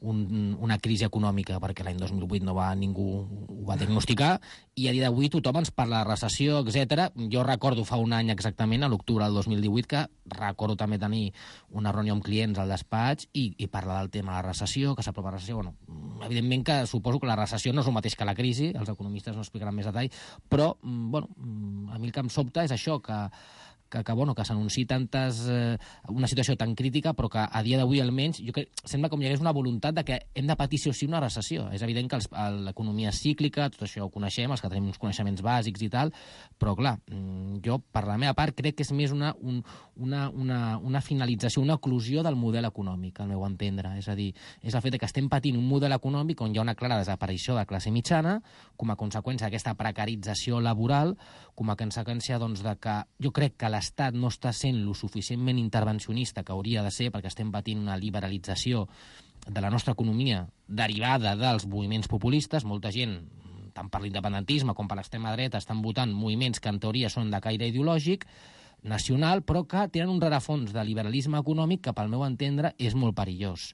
I: un, una crisi econòmica, perquè l'any dos mil vuit no va ningú ho va diagnosticar, i a dia d'avui tothom ens parla de recessió, etcètera. Jo recordo fa un any exactament, a l'octubre del dos mil divuit, que recordo també tenir una reunió amb clients al despatx i, i parlar del tema de la recessió, que s'aprova la recessió. Bueno, evidentment que suposo que la recessió no és el mateix que la crisi, els economistes no explicaran més detall, però bueno, a mi el que em sobta és això, que que, que, bueno, que s'anunciï tantes, eh, una situació tan crítica, però que a dia d'avui almenys jo crec, sembla com hi hagués una voluntat de que hem de patir sí o sí una recessió. És evident que els, l'economia és cíclica, tot això ho coneixem, els que tenim uns coneixements bàsics i tal, però clar, jo per la meva part crec que és més una, un, una, una, una finalització, una oclusió del model econòmic, al meu entendre. És a dir, és el fet que estem patint un model econòmic on hi ha una clara desaparició de classe mitjana, com a conseqüència d'aquesta precarització laboral, com a conseqüència doncs, de que jo crec que l'Estat no està sent lo suficientment intervencionista que hauria de ser, perquè estem patint una liberalització de la nostra economia derivada dels moviments populistes. Molta gent, tant per l'independentisme com per l'extrema dreta, estan votant moviments que en teoria són de caire ideològic, nacional, però que tenen un rerefons de liberalisme econòmic que, pel meu entendre, és molt perillós.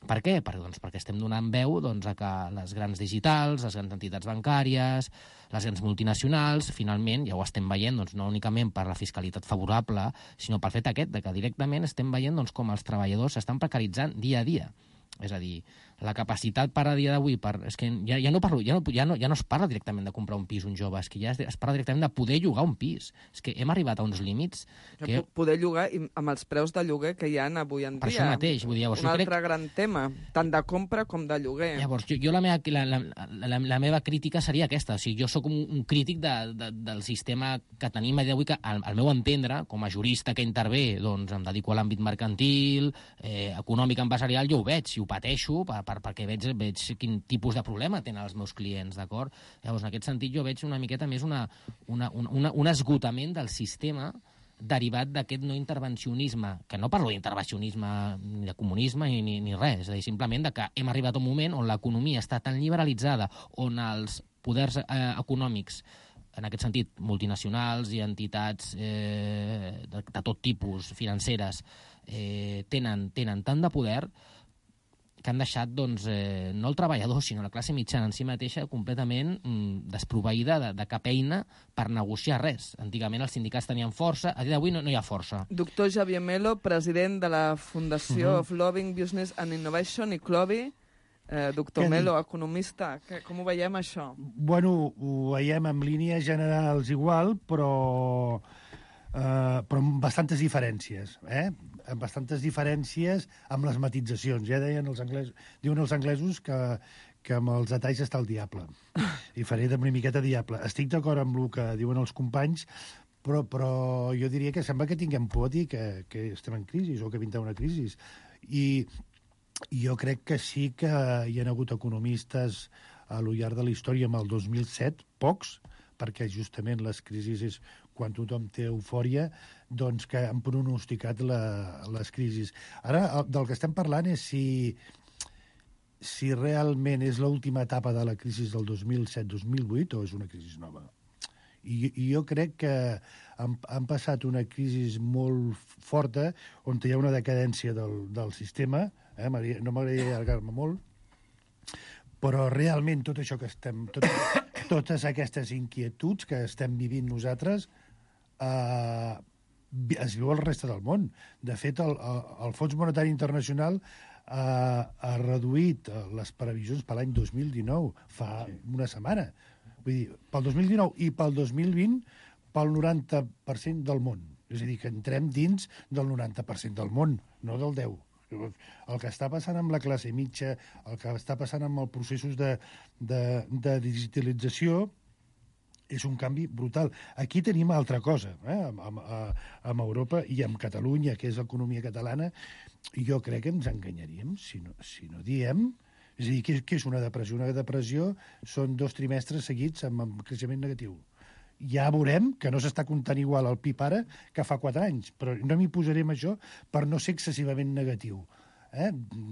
I: Per què? Per, doncs, perquè estem donant veu doncs, a que les grans digitals, les grans entitats bancàries, les grans multinacionals, finalment, ja ho estem veient, doncs, no únicament per la fiscalitat favorable, sinó pel fet aquest de que directament estem veient doncs, com els treballadors s'estan precaritzant dia a dia. És a dir, la capacitat per a dia d'avui, per, és que ja, ja, no parlo, ja, no, ja, no, ja no es parla directament de comprar un pis un jove, és que ja es, es parla directament de poder llogar un pis. És que hem arribat a uns límits... Que...
F: Poder llogar i amb els preus de lloguer que hi ha avui en dia.
I: Per això mateix. Vull dir, llavors,
F: un altre
I: crec...
F: gran tema, tant de compra com de lloguer.
I: Llavors, jo, jo la, meva, la, la, la, la meva crítica seria aquesta. O sigui, jo sóc un, un crític de, de, del sistema que tenim a dia d'avui, que al, al meu entendre, com a jurista que intervé, doncs em dedico a l'àmbit mercantil, eh, econòmic, empresarial, jo ho veig, i ho pateixo, per, per, perquè veig, veig quin tipus de problema tenen els meus clients, d'acord? Llavors, en aquest sentit, jo veig una miqueta més una, una, una, un esgotament del sistema derivat d'aquest no intervencionisme, que no parlo d'intervencionisme ni de comunisme ni, ni, ni res, és a dir, simplement de que hem arribat a un moment on l'economia està tan liberalitzada, on els poders eh, econòmics, en aquest sentit, multinacionals i entitats eh, de, de tot tipus, financeres, eh, tenen, tenen tant de poder que han deixat, doncs, eh, no el treballador, sinó la classe mitjana en si mateixa completament mm, desproveïda de, de cap eina per negociar res. Antigament els sindicats tenien força, a dia d'avui no, no hi ha força.
F: Doctor Xavier Melo, president de la Fundació uh-huh. of Loving Business and Innovation, I C L O B I. Eh, doctor Melo, economista, que, com ho veiem, això?
H: Bueno, ho veiem en línies generals igual, però, eh, però amb bastantes diferències, eh? amb bastantes diferències amb les matitzacions. Ja deien els anglesos, diuen els anglesos que, que amb els detalls està el diable. I faré de una miqueta diable. Estic d'acord amb el que diuen els companys, però, però jo diria que sembla que tinguem por a dir que, que estem en crisi o que vindrà una crisi. I jo crec que sí que hi ha hagut economistes a lo llarg de la història, amb el dos mil set, pocs, perquè justament les crisis és quan tothom té eufòria, doncs que han pronosticat la, les crisis. Ara, del que estem parlant és si, si realment és l'última etapa de la crisi del dos mil set dos mil vuit o és una crisi nova. I, i jo crec que han, han passat una crisi molt forta on hi ha una decadència del, del sistema, eh? No m'agradaria allargar-me molt, però realment tot això que estem... Tot, totes aquestes inquietuds que estem vivint nosaltres eh, es viu al reste del món. De fet, el, el Fons Monetari Internacional eh, ha reduït les previsions per l'any dos mil dinou, fa sí. una setmana. Vull dir, pel dos mil dinou i pel dos mil vint, pel noranta per cent del món. És a dir, que entrem dins del noranta per cent del món, no del deu per cent. El que està passant amb la classe mitja, el que està passant amb els processos de, de, de digitalització, és un canvi brutal. Aquí tenim altra cosa, eh? amb, amb, amb Europa i amb Catalunya, que és l'economia catalana, i jo crec que ens enganyaríem si no, si no diem... És a dir, què, què és una depressió? Una depressió són dos trimestres seguits amb, amb creixement negatiu. Ja veurem que no s'està comptant igual el P I B ara que fa quatre anys, però no m'hi posarem això per no ser excessivament negatiu. Eh?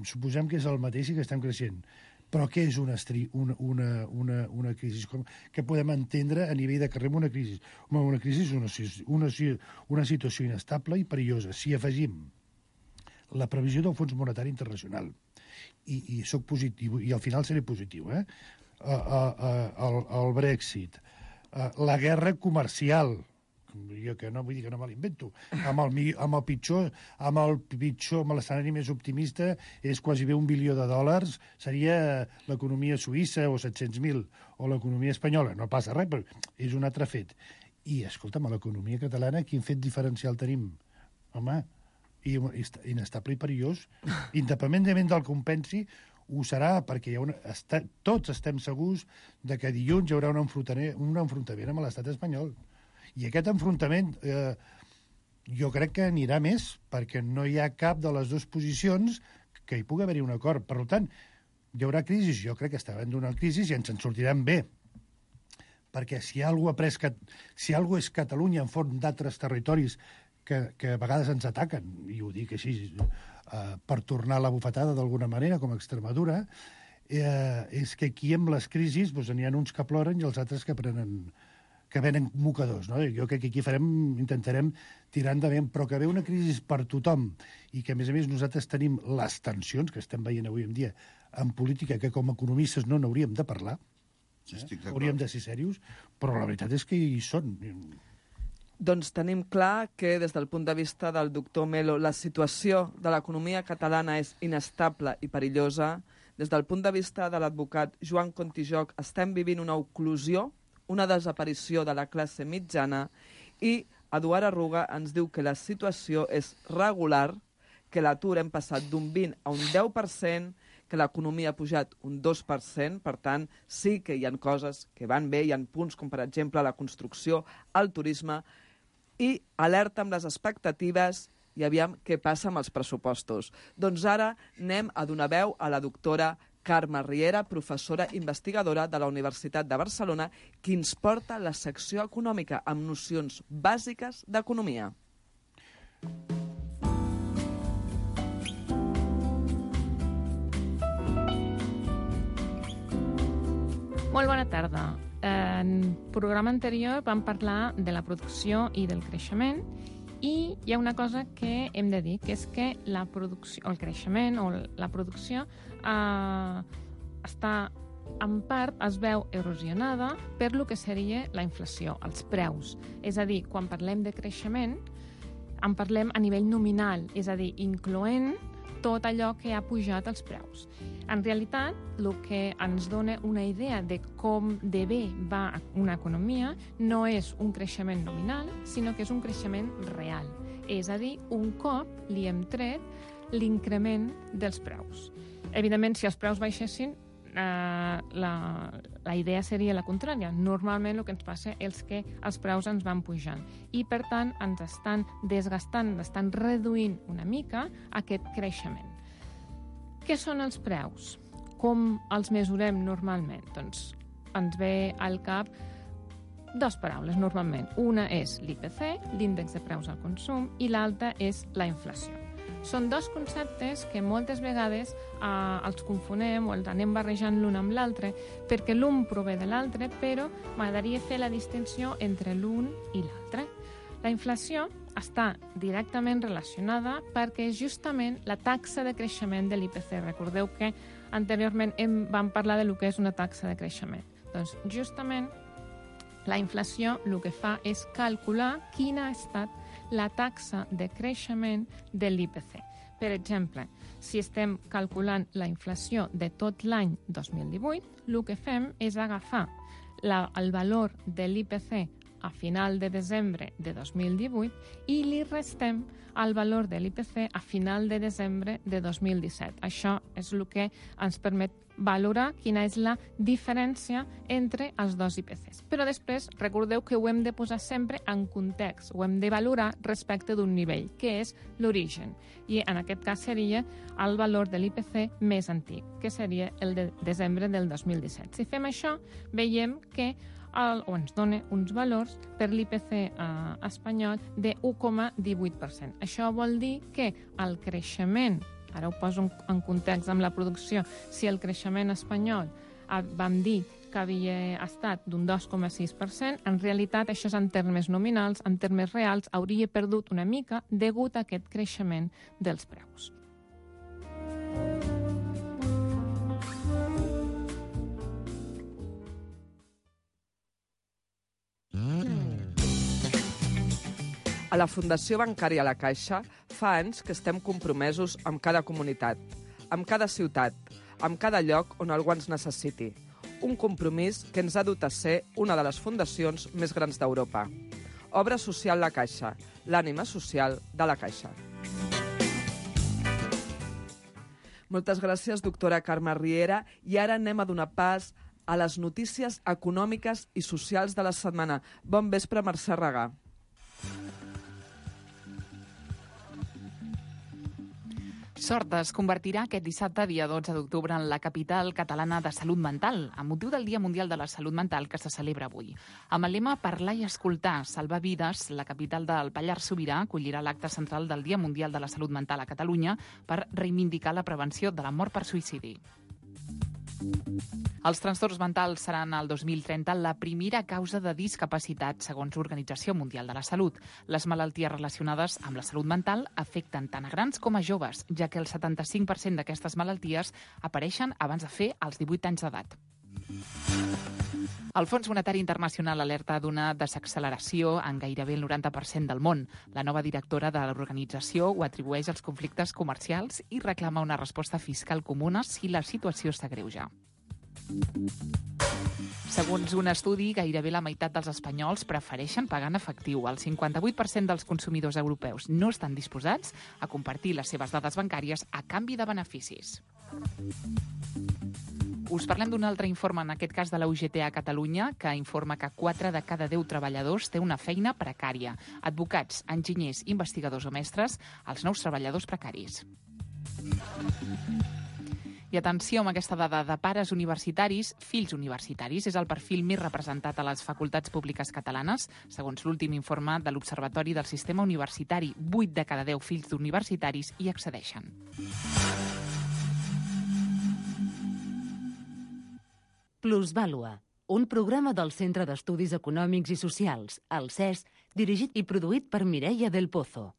H: Suposem que és el mateix i que estem creixent. Però què és una, estri, una, una, una, una crisi? Com, què podem entendre a nivell de carrer amb una crisi? Home, una crisi és una, una, una situació inestable i perillosa. Si afegim la previsió del Fons Monetari Internacional, i, i soc positiu, i al final seré positiu, eh? Uh, uh, uh, el, el Brexit, uh, la guerra comercial, jo que no vull dir que no me l'invento, amb el, amb el pitjor, amb el pitjor, amb l'escenari més optimista, és quasi bé un bilió de dòlars, seria l'economia suïssa o set-cents mil, o l'economia espanyola, no passa res, però és un altre fet. I, escolta'm, a l'economia catalana, quin fet diferencial tenim? Home, i inestable i perillós, independentment del que compensi, ho serà, perquè hi ha una, està, tots estem segurs de que dilluns hi haurà un enfrontament, un enfrontament amb l'estat espanyol. I aquest enfrontament eh, jo crec que anirà més, perquè no hi ha cap de les dues posicions que hi pugui haver-hi un acord. Per tant, hi haurà crisi, jo crec que està havent una crisi i ens en sortirem bé. Perquè si alguna ha pres, si alguna és Catalunya en front d'altres territoris que, que a vegades ens ataquen, i ho dic així, eh, per tornar la bufetada d'alguna manera, com a Extremadura, eh, és que aquí amb les crisis doncs, n'hi ha uns que ploren i els altres que prenen que venen mocadors, no? Jo crec que aquí farem, intentarem tirar endavant, però que ve una crisi per tothom i que, a més a més, nosaltres tenim les tensions que estem veient avui en dia en política, que com a economistes no n'hauríem de parlar, eh? Hauríem de ser serios, però la veritat és que hi són.
F: Doncs tenim clar que, des del punt de vista del doctor Melo, la situació de l'economia catalana és inestable i perillosa. Des del punt de vista de l'advocat Joan Contijoc, estem vivint una oclusió, una desaparició de la classe mitjana, i Eduard Arruga ens diu que la situació és regular, que l'atur hem passat d'un vint a un deu per cent, que l'economia ha pujat un dos per cent, per tant, sí que hi ha coses que van bé, hi ha punts com, per exemple, la construcció, el turisme, i alerta amb les expectatives i aviam què passa amb els pressupostos. Doncs ara anem a donar veu a la doctora Carme Riera, professora investigadora de la Universitat de Barcelona, qui ens porta la secció econòmica amb nocions bàsiques d'economia.
J: Molt bona tarda. En el programa anterior vam parlar de la producció i del creixement, i hi ha una cosa que hem de dir, que és que la producció, el creixement o la producció eh, està, en part, es veu erosionada per lo que seria la inflació, els preus. És a dir, quan parlem de creixement, en parlem a nivell nominal, és a dir, incloent tot allò que ha pujat els preus. En realitat, el que ens dona una idea de com de bé va una economia no és un creixement nominal, sinó que és un creixement real. És a dir, un cop li hem tret l'increment dels preus. Evidentment, si els preus baixessin, eh, la, la idea seria la contrària. Normalment el que ens passa és que els preus ens van pujant i, per tant, ens estan desgastant, ens estan reduint una mica aquest creixement. Què són els preus? com els mesurem normalment? Doncs ens ve al cap dues paraules, normalment. Una és l'I P C, l'índex de preus al consum, i l'altra és la inflació. Són dos conceptes que moltes vegades eh, els confonem o els anem barrejant l'un amb l'altre, perquè l'un prové de l'altre, però m'agradaria fer la distinció entre l'un i l'altre. La inflació està directament relacionada perquè és justament la taxa de creixement de l'I P C. Recordeu que anteriorment hem, vam parlar de lo que és una taxa de creixement. Doncs justament la inflació el que fa és calcular quina ha estat la taxa de creixement de l'I P C. Per exemple, si estem calculant la inflació de tot l'any dos mil divuit, el que fem és agafar la, el valor de l'I P C a final de desembre de dos mil divuit i li restem el valor de l'I P C a final de desembre de dos mil disset. Això és el que ens permet valorar quina és la diferència entre els dos I P Cs. Però després, recordeu que ho hem de posar sempre en context, ho hem de valorar respecte d'un nivell, que és l'origen. I en aquest cas seria el valor de l'I P C més antic, que seria el de desembre del dos mil disset. Si fem això, veiem que el, o ens dona uns valors per l'I P C eh, espanyol de u coma divuit per cent. Això vol dir que el creixement, ara ho poso en context amb la producció, si el creixement espanyol eh, vam dir que havia estat d'un dos coma sis per cent, en realitat això és en termes nominals, en termes reals hauria perdut una mica degut a aquest creixement dels preus.
F: A la Fundació Bancària La Caixa fa anys que estem compromesos amb cada comunitat, amb cada ciutat, amb cada lloc on algú ens necessiti. Un compromís que ens ha dut a ser una de les fundacions més grans d'Europa. Obra Social La Caixa, l'ànima social de La Caixa. Moltes gràcies, doctora Carme Riera. I ara anem a donar pas a les notícies econòmiques i socials de la setmana. Bon vespre, Mercè Regà.
K: Sort es convertirà aquest dissabte, dia dotze d'octubre, en la capital catalana de salut mental, amb motiu del Dia Mundial de la Salut Mental que se celebra avui. Amb el lema Parlar i escoltar, salvar vides, la capital del Pallars Sobirà acollirà l'acte central del Dia Mundial de la Salut Mental a Catalunya per reivindicar la prevenció de la mort per suïcidi. Els trastorns mentals seran el dos mil trenta la primera causa de discapacitat, segons l'Organització Mundial de la Salut. Les malalties relacionades amb la salut mental afecten tant a grans com a joves, ja que el setanta-cinc per cent d'aquestes malalties apareixen abans de fer els divuit anys d'edat. El Fons Monetari Internacional alerta d'una desacceleració en gairebé el noranta per cent del món. La nova directora de l'organització ho atribueix als conflictes comercials i reclama una resposta fiscal comuna si la situació s'agreuja. Segons un estudi, gairebé la meitat dels espanyols prefereixen pagar en efectiu. El cinquanta-vuit per cent dels consumidors europeus no estan disposats a compartir les seves dades bancàries a canvi de beneficis. Us parlem d'un altre informe, en aquest cas de la U G T a Catalunya, que informa que quatre de cada deu treballadors té una feina precària. Advocats, enginyers, investigadors o mestres, els nous treballadors precaris. I atenció amb aquesta dada de pares universitaris, fills universitaris. És el perfil més representat a les facultats públiques catalanes, segons l'últim informe de l'Observatori del Sistema Universitari. vuit de cada deu fills d'universitaris hi accedeixen.
L: Plusvàlua, un programa del Centre d'Estudis Econòmics i Socials, el C E S, dirigit i produït per Mireia del Pozo.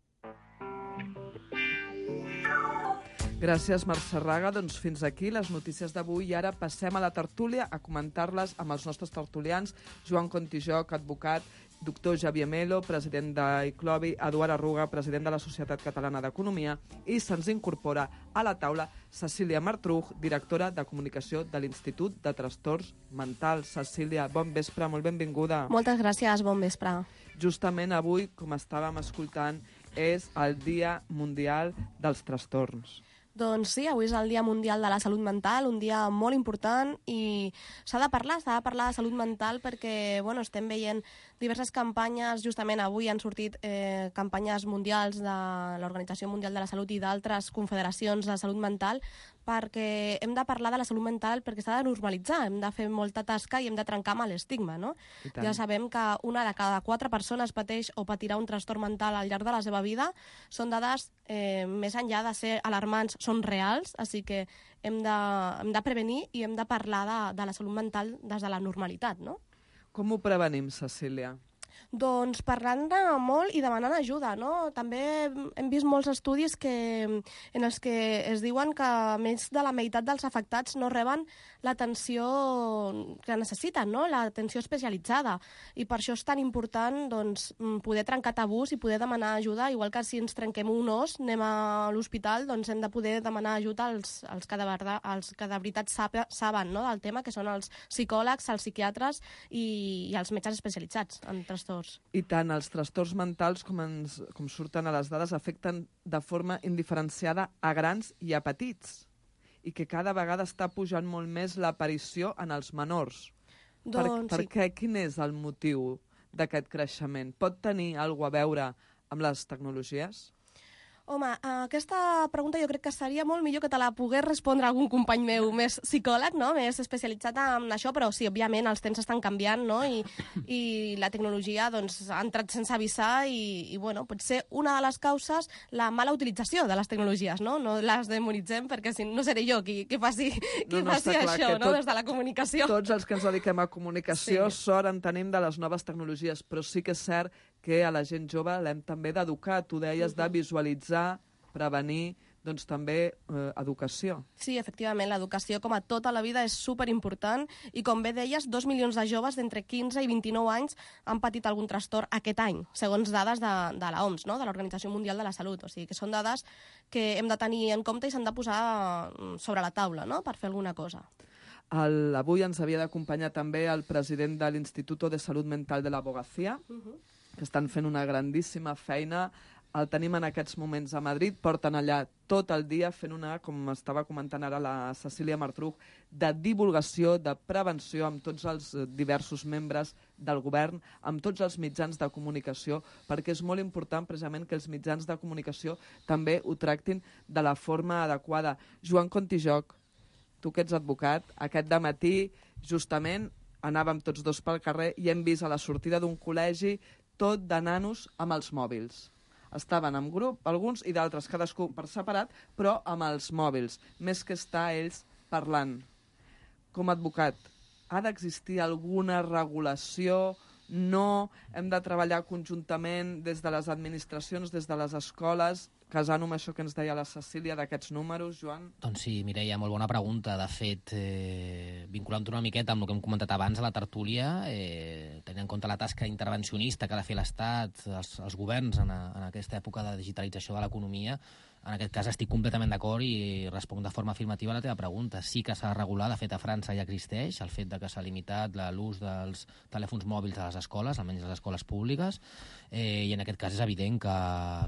F: Gràcies, Mercè Regà. Doncs fins aquí les notícies d'avui i ara passem a la tertúlia a comentar-les amb els nostres tertulians. Joan Contijoc, advocat, doctor Xavier Melo, president d'Iclobi, Eduard Arruga, president de la Societat Catalana d'Economia, i se'ns incorpora a la taula Cecília Martruch, directora de comunicació de l'Institut de Trastorns Mentals. Cecília, bon vespre, molt benvinguda.
M: Moltes gràcies, bon vespre.
F: Justament avui, com estàvem escoltant, és el Dia Mundial dels Trastorns.
M: Doncs sí, avui és el Dia Mundial de la Salut Mental, un dia molt important i s'ha de parlar, s'ha de parlar de salut mental perquè bueno, estem veient diverses campanyes, justament avui han sortit eh, campanyes mundials de l'Organització Mundial de la Salut i d'altres confederacions de salut mental perquè hem de parlar de la salut mental perquè s'ha de normalitzar, hem de fer molta tasca i hem de trencar amb l'estigma, no? Ja sabem que una de cada quatre persones pateix o patirà un trastorn mental al llarg de la seva vida. Són dades, eh, més enllà de ser alarmants, són reals, així que hem de, hem de prevenir i hem de parlar de, de la salut mental des de la normalitat, no?
F: Com ho prevenim, Cecília?
M: Doncs parlant-ne molt i demanant ajuda, no? També hem vist molts estudis que, en els que es diuen que més de la meitat dels afectats no reben l'atenció que necessiten, no? L'atenció especialitzada. I per això és tan important doncs, poder trencar tabús i poder demanar ajuda, igual que si ens trenquem un os, anem a l'hospital, doncs hem de poder demanar ajuda als, als, que, de verdad, als que de veritat sabe, saben, no? Del tema, que són els psicòlegs, els psiquiatres i, i els metges especialitzats en trastorns.
F: I tant, els trastorns mentals, com, ens, com surten a les dades, afecten de forma indiferenciada a grans i a petits, i que cada vegada està pujant molt més l'aparició en els menors.
M: Doncs,
F: per, per
M: sí.
F: què? Quin és el motiu d'aquest creixement? Pot tenir alguna cosa a veure amb les tecnologies?
M: Home, aquesta pregunta jo crec que seria molt millor que te la pogués respondre algun company meu més psicòleg, no? Més especialitzat en això, però sí, òbviament, els temps estan canviant, no? I, i la tecnologia doncs, ha entrat sense avisar i, i bueno, pot ser una de les causes la mala utilització de les tecnologies, no? No les demonitzem, perquè si no seré jo qui, qui faci, qui
F: no, no,
M: faci
F: clar,
M: això, no?
F: Tot,
M: Des de la comunicació.
F: Tots els que ens dediquem a comunicació sí. sort en tenim de les noves tecnologies, però sí que és cert que a la gent jove l'hem també d'educar. Tu deies de visualitzar, prevenir, doncs també eh, educació.
M: Sí, efectivament, l'educació com a tota la vida és superimportant i com bé deies, dos milions de joves d'entre quinze i vint-i-nou anys han patit algun trastorn aquest any, segons dades de, de la O M S, no? De l'Organització Mundial de la Salut. O sigui que són dades que hem de tenir en compte i s'han de posar sobre la taula, no? Per fer alguna cosa.
F: El, avui ens havia d'acompanyar també el president de l'Instituto de Salut Mental de l'Abogacía, uh-huh. que estan fent una grandíssima feina. El tenim en aquests moments a Madrid, porten allà tot el dia fent una, com estava comentant ara la Cecília Martruch, de divulgació, de prevenció amb tots els diversos membres del govern, amb tots els mitjans de comunicació, perquè és molt important precisament que els mitjans de comunicació també ho tractin de la forma adequada. Joan Contijoch, tu que ets advocat, aquest dematí justament anàvem tots dos pel carrer i hem vist a la sortida d'un col·legi tot de nanos amb els mòbils. Estaven en grup, alguns i d'altres, cadascú per separat, però amb els mòbils, més que estar ells parlant. Com a advocat, ha d'existir alguna regulació? No? Hem de treballar conjuntament des de les administracions, des de les escoles, casant amb això que ens deia la Cecília d'aquests números, Joan?
I: Doncs sí, Mireia, molt bona pregunta. De fet, eh, vinculant-ho una miqueta amb el que hem comentat abans a la tertúlia, eh, tenint en compte la tasca intervencionista que ha de fer l'Estat, els, els governs en, a, en aquesta època de digitalització de l'economia, en aquest cas estic completament d'acord i responc de forma afirmativa a la teva pregunta. Sí que s'ha de regular, de fet a França ja existeix el fet de que s'ha limitat l'ús dels telèfons mòbils a les escoles, almenys a les escoles públiques, eh, i en aquest cas és evident que,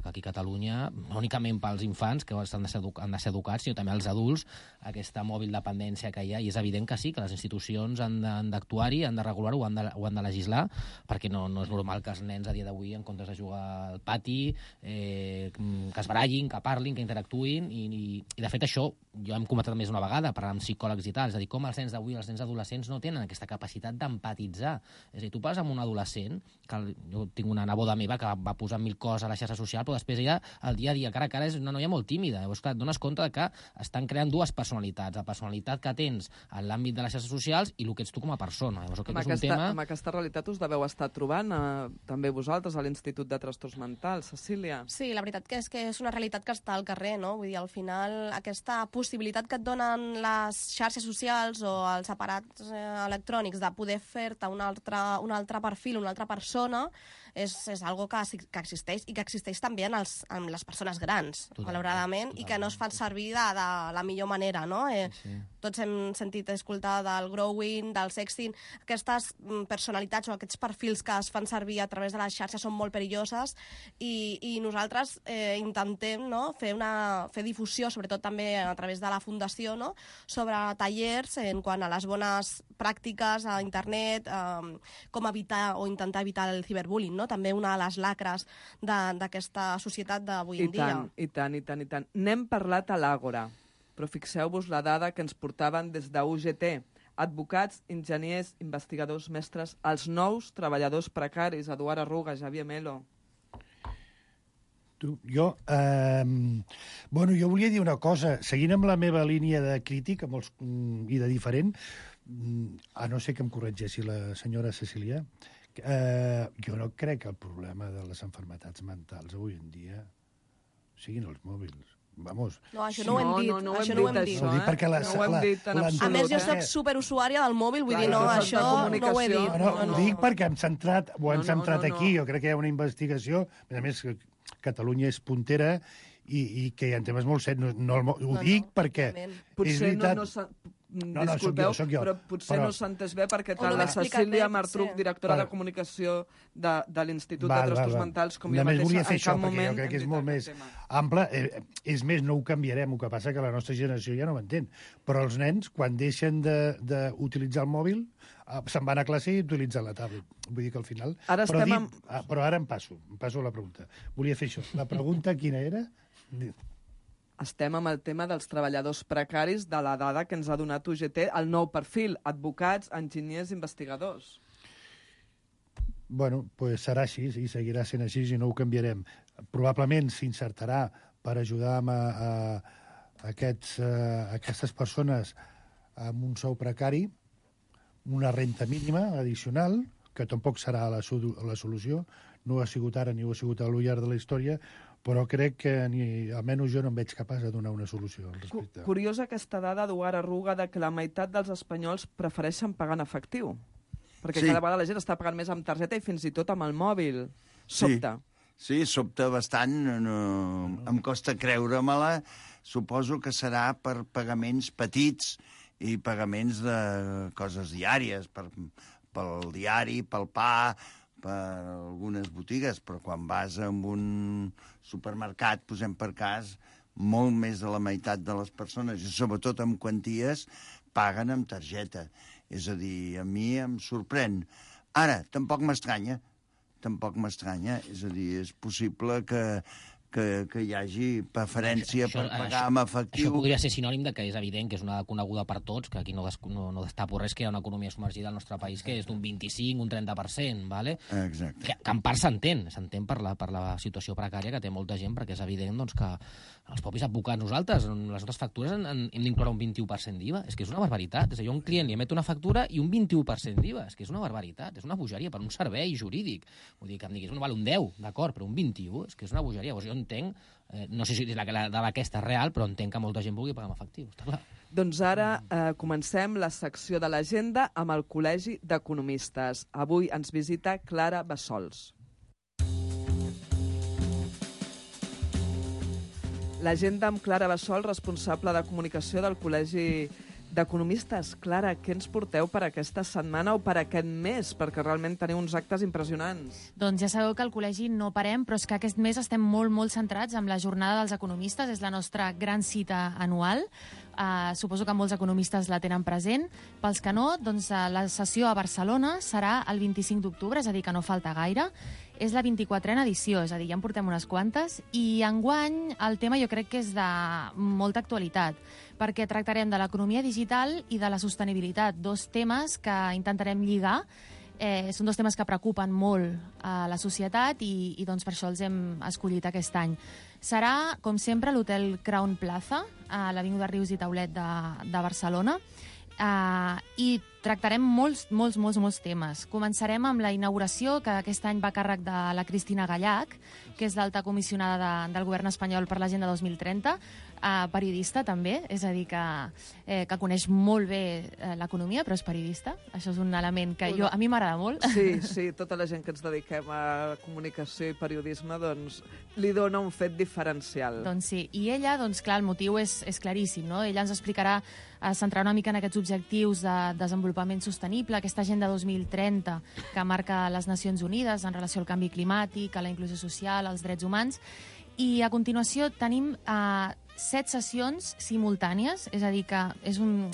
I: que aquí a Catalunya, no únicament pels infants, que han de, ser han de ser educats, sinó també els adults, aquesta mòbil dependència que hi ha, i és evident que sí, que les institucions han d'actuar-hi, han de regular-ho, han, de, ho han de legislar, perquè no, no és normal que els nens a dia d'avui, en comptes de jugar al pati, eh, que es barallin, que parlin, que interactuïn, i, i, i de fet això jo hem comentat més una vegada, parlant amb psicòlegs i tal, és a dir, com els nens d'avui, els nens adolescents no tenen aquesta capacitat d'empatitzar. És a dir, tu parles amb un adolescent, que jo tinc una neboda meva que va posar mil coses a la xarxa social, però després ella, el dia a dia, cara a cara, és una noia molt tímida. Llavors, clar, et dones compte que estan creant dues personalitats, la personalitat que tens en l'àmbit de les xarxes socials i el que ets tu com a persona. Llavors, aquest
F: amb,
I: és
F: aquesta,
I: un tema...
F: amb aquesta realitat us deveu estar trobant eh, també vosaltres a l'Institut de Trastorns Mentals. Cecília?
M: Sí, la veritat que és que és una realitat que està al carrer, no? Vull dir, al final, aquesta possibilitat que et donen les xarxes socials o els aparats eh, electrònics de poder fer-te un altre, un altre perfil, una altra persona, és, és algo que, que existeix i que existeix també en, els, en les persones grans, totalment, malauradament, totalment, i que no es fan servir de, de la millor manera, no? Eh, sí, sí. Tots hem sentit escoltar del growing, del sexting, aquestes personalitats o aquests perfils que es fan servir a través de les xarxes són molt perilloses i, i nosaltres eh, intentem, no, fer, una, fer difusió, sobretot també a través de la Fundació, no, sobre tallers en quant a les bones pràctiques a internet, eh, com evitar o intentar evitar el ciberbullying, no? També una de les lacres d'aquesta societat d'avui en dia.
F: I tant, i tant, i tant, i tant. N'hem parlat a l'Àgora, però fixeu-vos la dada que ens portaven des d'U G T. Advocats, enginyers, investigadors, mestres, els nous treballadors precaris, Eduard Arruga, Xavier Melo.
H: Tu, jo, eh, bueno, jo volia dir una cosa, seguint amb la meva línia de crític amb els, i de diferent, a no ser que em corregeixi la senyora Cecília, eh, jo no crec que el problema de les malalties mentals avui en dia siguin els mòbils. Vamos.
M: No, això no ho hem dit.
F: No, no, no
M: això no ho hem dit.
F: Això, eh?
H: Perquè la,
F: no ho hem dit en
H: la,
F: absolut.
M: A més, jo
F: eh?
M: soc superusuària del mòbil, vull
F: Clar,
M: dir, no,
F: això
M: això
F: és de
M: no ho he dit.
H: No, no, ho
M: no.
H: dic perquè hem centrat, ho hem
F: No, no,
H: centrat
F: no, no.
H: aquí. Jo crec que hi ha una investigació, a més a més, que Catalunya és puntera i, i que hi ha temes molt sets. No, no, ho
M: No, no,
H: dic perquè
F: Potser
H: és veritat...
F: no, no s'ha...
H: No, no,
F: Disculpeu,
H: soc jo, soc jo.
F: però potser
H: Però-
F: no s'ha entès bé perquè
M: O
F: tant
M: no
F: la
M: m'he explicat
F: Cecília
M: bé,
F: Martruc,
M: potser.
F: directora
H: Val.
F: de comunicació de, de l'Institut
H: Val,
F: de Trastorns
H: val, val.
F: Mentals, com jo
H: Només
F: mateixa,
H: volia fer
F: en
H: això,
F: cap
H: perquè
F: moment
H: jo crec que és
F: hem
H: molt
F: dit
H: més
F: aquest tema.
H: ample. Eh, és més, no ho canviarem, el que passa que la nostra generació ja no ho entén. Però els nens, quan deixen d'utilitzar el mòbil, eh, se'n van a classe i utilitzen la tablet. Vull dir que al final...
F: Ara
H: però,
F: estem
H: dit,
F: amb-
H: ah, però ara em passo, em passo a la pregunta. Volia fer això. La pregunta quina era?
F: Estem amb el tema dels treballadors precaris de la dada que ens ha donat U G T, el nou perfil, advocats, enginyers, investigadors.
H: Bueno, pues serà així, i seguirà sent així i no ho canviarem. Probablement s'insertarà per ajudar a, a, a, aquests, a aquestes persones amb un sou precari, una renta mínima addicional, que tampoc serà la, la solució, no ho ha sigut ara ni ho ha sigut al llarg de la història, però crec que ni, almenys jo no em veig capaç de donar una solució al respecte.
F: Curiosa aquesta dada d'Eduard Arruga de que la meitat dels espanyols prefereixen pagar en efectiu. Perquè
G: Sí.
F: cada vegada la gent està pagant més amb targeta i fins i tot amb el mòbil. Sobte.
G: Sí, sí, sobta bastant. No, em costa creure-me-la. Suposo que serà per pagaments petits i pagaments de coses diàries, per, pel diari, pel pa, per algunes botigues, però quan vas a un supermercat, posem per cas, molt més de la meitat de les persones, i sobretot amb quanties, paguen amb targeta. És a dir, a mi em sorprèn. Ara, tampoc m'estranya, tampoc m'estranya. És a dir, és possible que, que, que hi hagi preferència
I: Això-
G: per
I: això-
G: pagar amb efectiu.
I: Això podria ser sinònim de que és evident que és una dada coneguda per tots, que aquí no, des, no, no destapo res, que hi ha una economia submergida al nostre país que és d'un vint-i-cinc, un trenta per cent, ¿vale?
G: Exacte.
I: Que, que en part s'entén, s'entén per la, per la situació precària que té molta gent, perquè és evident doncs, que els propis advocats nosaltres, en les nostres factures, en, en, hem d'incloure un vint-i-u per cent d'I V A. És que és una barbaritat. És a dir, jo a un client li emet una factura i un vint-i-u per cent d'I V A. És que és una barbaritat, és una bogeria per un servei jurídic. Vull dir, que em diguis, no val un deu, d'acord, però un vint-i-u, és que és una bogeria. Llavors jo entenc, eh, no sé si la, la dada aquesta és real, però entenc que molta gent vulgui pagar amb efectiu, està clar.
F: Doncs ara eh, comencem la secció de l'agenda amb el Col·legi d'Economistes. Avui ens visita Clara Bassols. L'agenda amb Clara Bassols, responsable de comunicació del Col·legi d'Economistes. Clara, què ens porteu per aquesta setmana o per aquest mes? Perquè realment teniu uns actes impressionants.
J: Doncs ja sabeu que al col·legi no parem, però és que aquest mes estem molt, molt centrats amb la jornada dels economistes. És la nostra gran cita anual. Uh, suposo que molts economistes la tenen present. Pels que no, doncs uh, la sessió a Barcelona serà el vint-i-cinc d'octubre, és a dir, que no falta gaire. És la vint-i-quatrena edició, és a dir, ja en portem unes quantes, i enguany el tema jo crec que és de molta actualitat, perquè tractarem de l'economia digital i de la sostenibilitat, dos temes que intentarem lligar. Eh, són dos temes que preocupen molt a la societat i, i doncs per això els hem escollit aquest any. Serà, com sempre, a l'Hotel Crown Plaza, a l'Avinguda Rius i Taulet de, de Barcelona, Uh, i tractarem molts, molts, molts, molts temes. Començarem amb la inauguració, que aquest any va a càrrec de la Cristina Gallach, que és l'alta comissionada de, del govern espanyol per l'Agenda dos mil trenta, uh, periodista també, és a dir, que, eh, que coneix molt bé eh, l'economia, però és periodista. Això és un element que jo, a mi m'agrada molt.
F: Sí, sí, tota la gent que ens dediquem a comunicació i periodisme, doncs, li dona un fet diferencial.
J: Doncs sí, i ella, doncs clar, el motiu és, és claríssim, no? Ella ens explicarà, a centrar una mica en aquests objectius de desenvolupament sostenible, aquesta Agenda dos mil trenta que marca les Nacions Unides en relació al canvi climàtic, a la inclusió social, als drets humans. I a continuació tenim eh, set sessions simultànies, és a dir, que és un...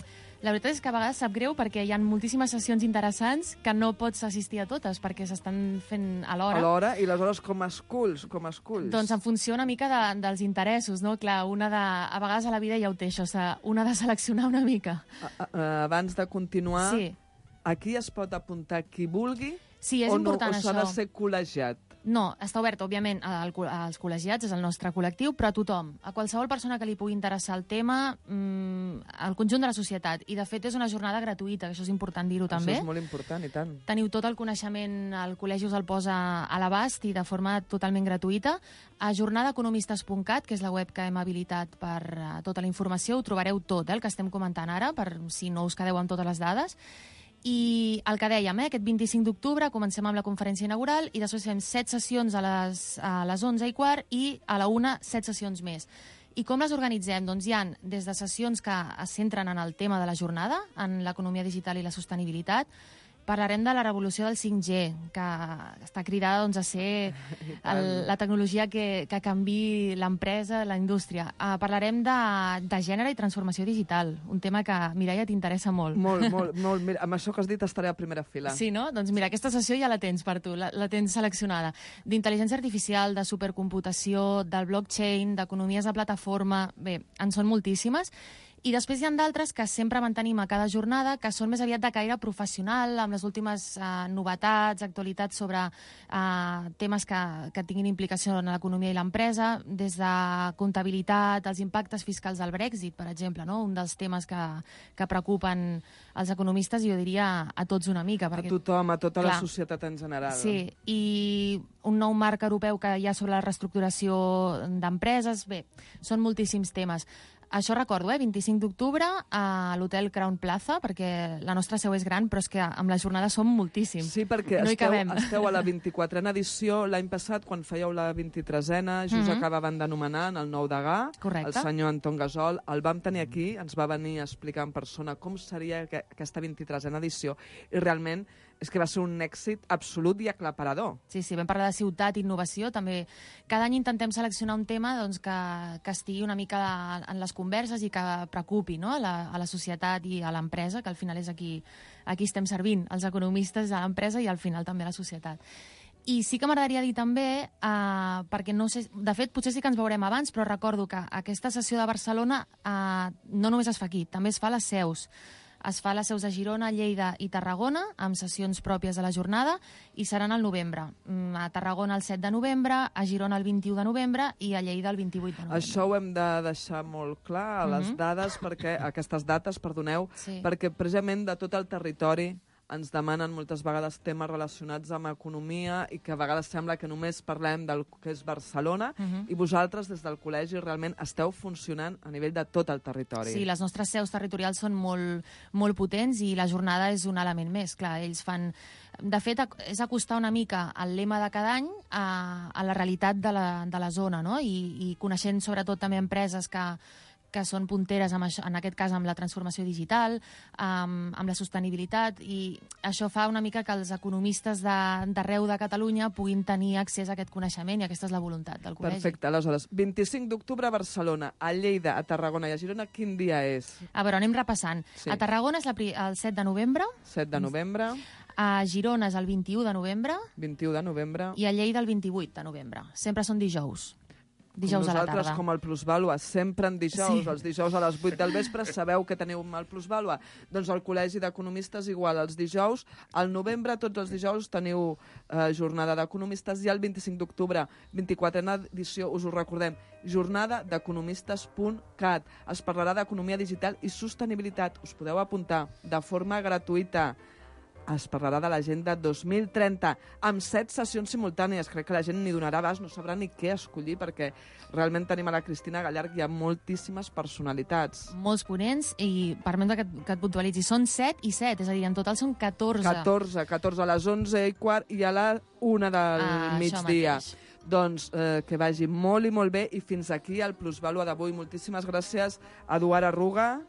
N: La veritat és que a vegades sap greu perquè hi ha moltíssimes sessions interessants que no pots assistir a totes perquè s'estan fent a l'hora.
F: A l'hora, i aleshores com esculls, com esculls?
N: Doncs en funció una mica de, dels interessos, no? Clar, una de, a vegades a la vida ja ho té això, una de seleccionar una mica.
F: A, a, abans de continuar,
N: sí.
F: Aquí es pot apuntar qui vulgui
N: sí, és
F: o, no,
N: important,
F: o s'ha de
N: això.
F: ser col·legiat?
N: No, està obert, òbviament, al, als col·legiats, és el nostre col·lectiu, però a tothom, a qualsevol persona que li pugui interessar el tema, mmm, al conjunt de la societat. I, de fet, és una jornada gratuïta, que això és important dir-ho també.
F: Això és molt important, i tant.
N: Teniu tot el coneixement, el col·legi us el posa a l'abast i de forma totalment gratuïta. A jornada economistes punt cat, que és la web que hem habilitat per uh, tota la informació, ho trobareu tot, eh, el que estem comentant ara, per si no us quedeu amb totes les dades. I el que dèiem, eh, aquest vint-i-cinc d'octubre comencem amb la conferència inaugural i després fem set sessions a les, a les onze i quart i a la una set sessions més. I com les organitzem? Doncs hi ha des de sessions que es centren en el tema de la jornada, en l'economia digital i la sostenibilitat. Parlarem de la revolució del cinc G, que està cridada doncs, a ser el, la tecnologia que, que canvi l'empresa, la indústria. Uh, parlarem de, de gènere i transformació digital, un tema que, Mireia, t'interessa molt.
F: Molt, molt, molt. Mira, amb això que has dit estaré a primera fila.
N: Sí, no? Doncs mira, aquesta sessió ja la tens per tu, la, la tens seleccionada. D'intel·ligència artificial, de supercomputació, del blockchain, d'economies de plataforma... Bé, en són moltíssimes. I després hi ha d'altres que sempre mantenim a cada jornada, que són més aviat de caire professional, amb les últimes eh, novetats, actualitats sobre eh, temes que, que tinguin implicació en l'economia i l'empresa, des de comptabilitat, els impactes fiscals del Brexit, per exemple, no? Un dels temes que, que preocupen els economistes, jo diria a tots una mica. Perquè,
F: a tothom, a tota
N: clar,
F: la societat en general.
N: Sí, i un nou marc europeu que hi ha sobre la reestructuració d'empreses, bé, són moltíssims temes. Això recordo, eh? vint-i-cinc d'octubre a l'hotel Crown Plaza, perquè la nostra seu és gran, però és que amb la jornada som moltíssims.
F: Sí, perquè
N: no
F: esteu, esteu a la vint-i-quatrena edició. L'any passat, quan fèieu la vint-i-tresena, just mm-hmm. acabaven d'anomenar el nou degà,
N: correcte,
F: el senyor Anton Gasol. El vam tenir aquí, ens va venir a explicar en persona com seria aquesta vint-i-tresena edició, i realment és que va ser un èxit absolut i aclaparador.
N: Sí, sí, vam parlar de ciutat i innovació. També cada any intentem seleccionar un tema doncs, que, que estigui una mica en les converses i que preocupi, no? a, la, a la societat i a l'empresa, que al final és aquí, aquí estem servint, els economistes a l'empresa i al final també a la societat. I sí que m'agradaria dir també, eh, perquè no sé, de fet potser sí que ens veurem abans, però recordo que aquesta sessió de Barcelona eh, no només es fa aquí, també es fa a les seus. Es fa a les seus a Girona, Lleida i Tarragona, amb sessions pròpies de la jornada, i seran al novembre. A Tarragona el set de novembre, a Girona el vint-i-u de novembre i a Lleida el vint-i-vuit de novembre.
F: Això ho hem de deixar molt clar a les
N: Mm-hmm.
F: dades, perquè aquestes dates, perdoneu,
N: Sí.
F: perquè precisament de tot el territori ens demanen moltes vegades temes relacionats amb economia i que a vegades sembla que només parlem del que és Barcelona,
N: Mhm.
F: i vosaltres des del col·legi realment esteu funcionant a nivell de tot el territori.
N: Sí, les nostres seus territorials són molt, molt potents i la jornada és un element més. Clar, ells fan... De fet, ac- és acostar una mica el lema de cada any a, a la realitat de la, de la zona, no? I, i coneixent sobretot també empreses que que són punteres, amb això, en aquest cas amb la transformació digital, amb, amb la sostenibilitat, i això fa una mica que els economistes d'arreu de, de Catalunya puguin tenir accés a aquest coneixement, i aquesta és la voluntat del col·legi.
F: Perfecte, aleshores, vint-i-cinc d'octubre a Barcelona, a Lleida, a Tarragona i a Girona, quin dia és?
N: A veure, anem repassant.
F: Sí.
N: A Tarragona és la, pri- el set de novembre,
F: set de novembre,
N: a Girona és el vint-i-u de novembre
F: vint-i-u de novembre...
N: i a Lleida el vint-i-vuit de novembre. Sempre són dijous. Dijous
F: com
N: a la
F: nosaltres,
N: tarda.
F: com el Plusvàlua, sempre en dijous,
N: Sí.
F: els dijous a les vuit del vespre, sabeu que teniu el Plusvàlua? Doncs el Col·legi d'Economistes igual, els dijous, al novembre, tots els dijous, teniu eh, jornada d'economistes, i el vint-i-cinc d'octubre, vint-i-quatrena edició, us ho recordem, jornada d'economistes punt cat. Es parlarà d'economia digital i sostenibilitat. Us podeu apuntar de forma gratuïta. Es parlarà de l'agenda dos mil trenta, amb set sessions simultànies. Crec que la gent ni donarà abast, no sabrà ni què escollir, perquè realment tenim a la Cristina Gallarg i a moltíssimes personalitats.
N: Molts ponents, i permet que, et- que et puntualitzi. Són set i set, és a dir, en total són catorze.
F: catorze, catorze a les onze i quart i a la una del
N: Ah, això
F: migdia.
N: mateix.
F: Doncs eh, que vagi molt i molt bé, i fins aquí el Plusvàlua d'avui. Moltíssimes gràcies, Eduard Arruga.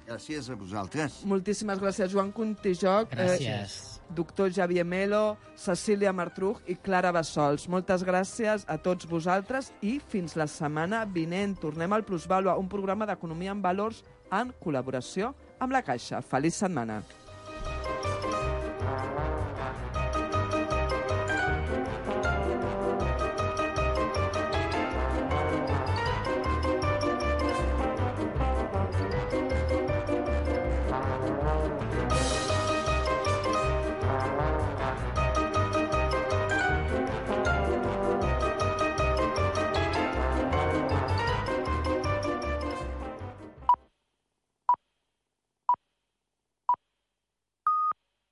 G: Gràcies a vosaltres.
F: Moltíssimes gràcies, Joan Contijoc.
I: Gràcies.
F: Eh, doctor Xavier Melo, Cecília Martruch i Clara Bassols. Moltes gràcies a tots vosaltres i fins la setmana vinent. Tornem al Plusvàlua, un programa d'economia en valors en col·laboració amb la Caixa. Feliç setmana.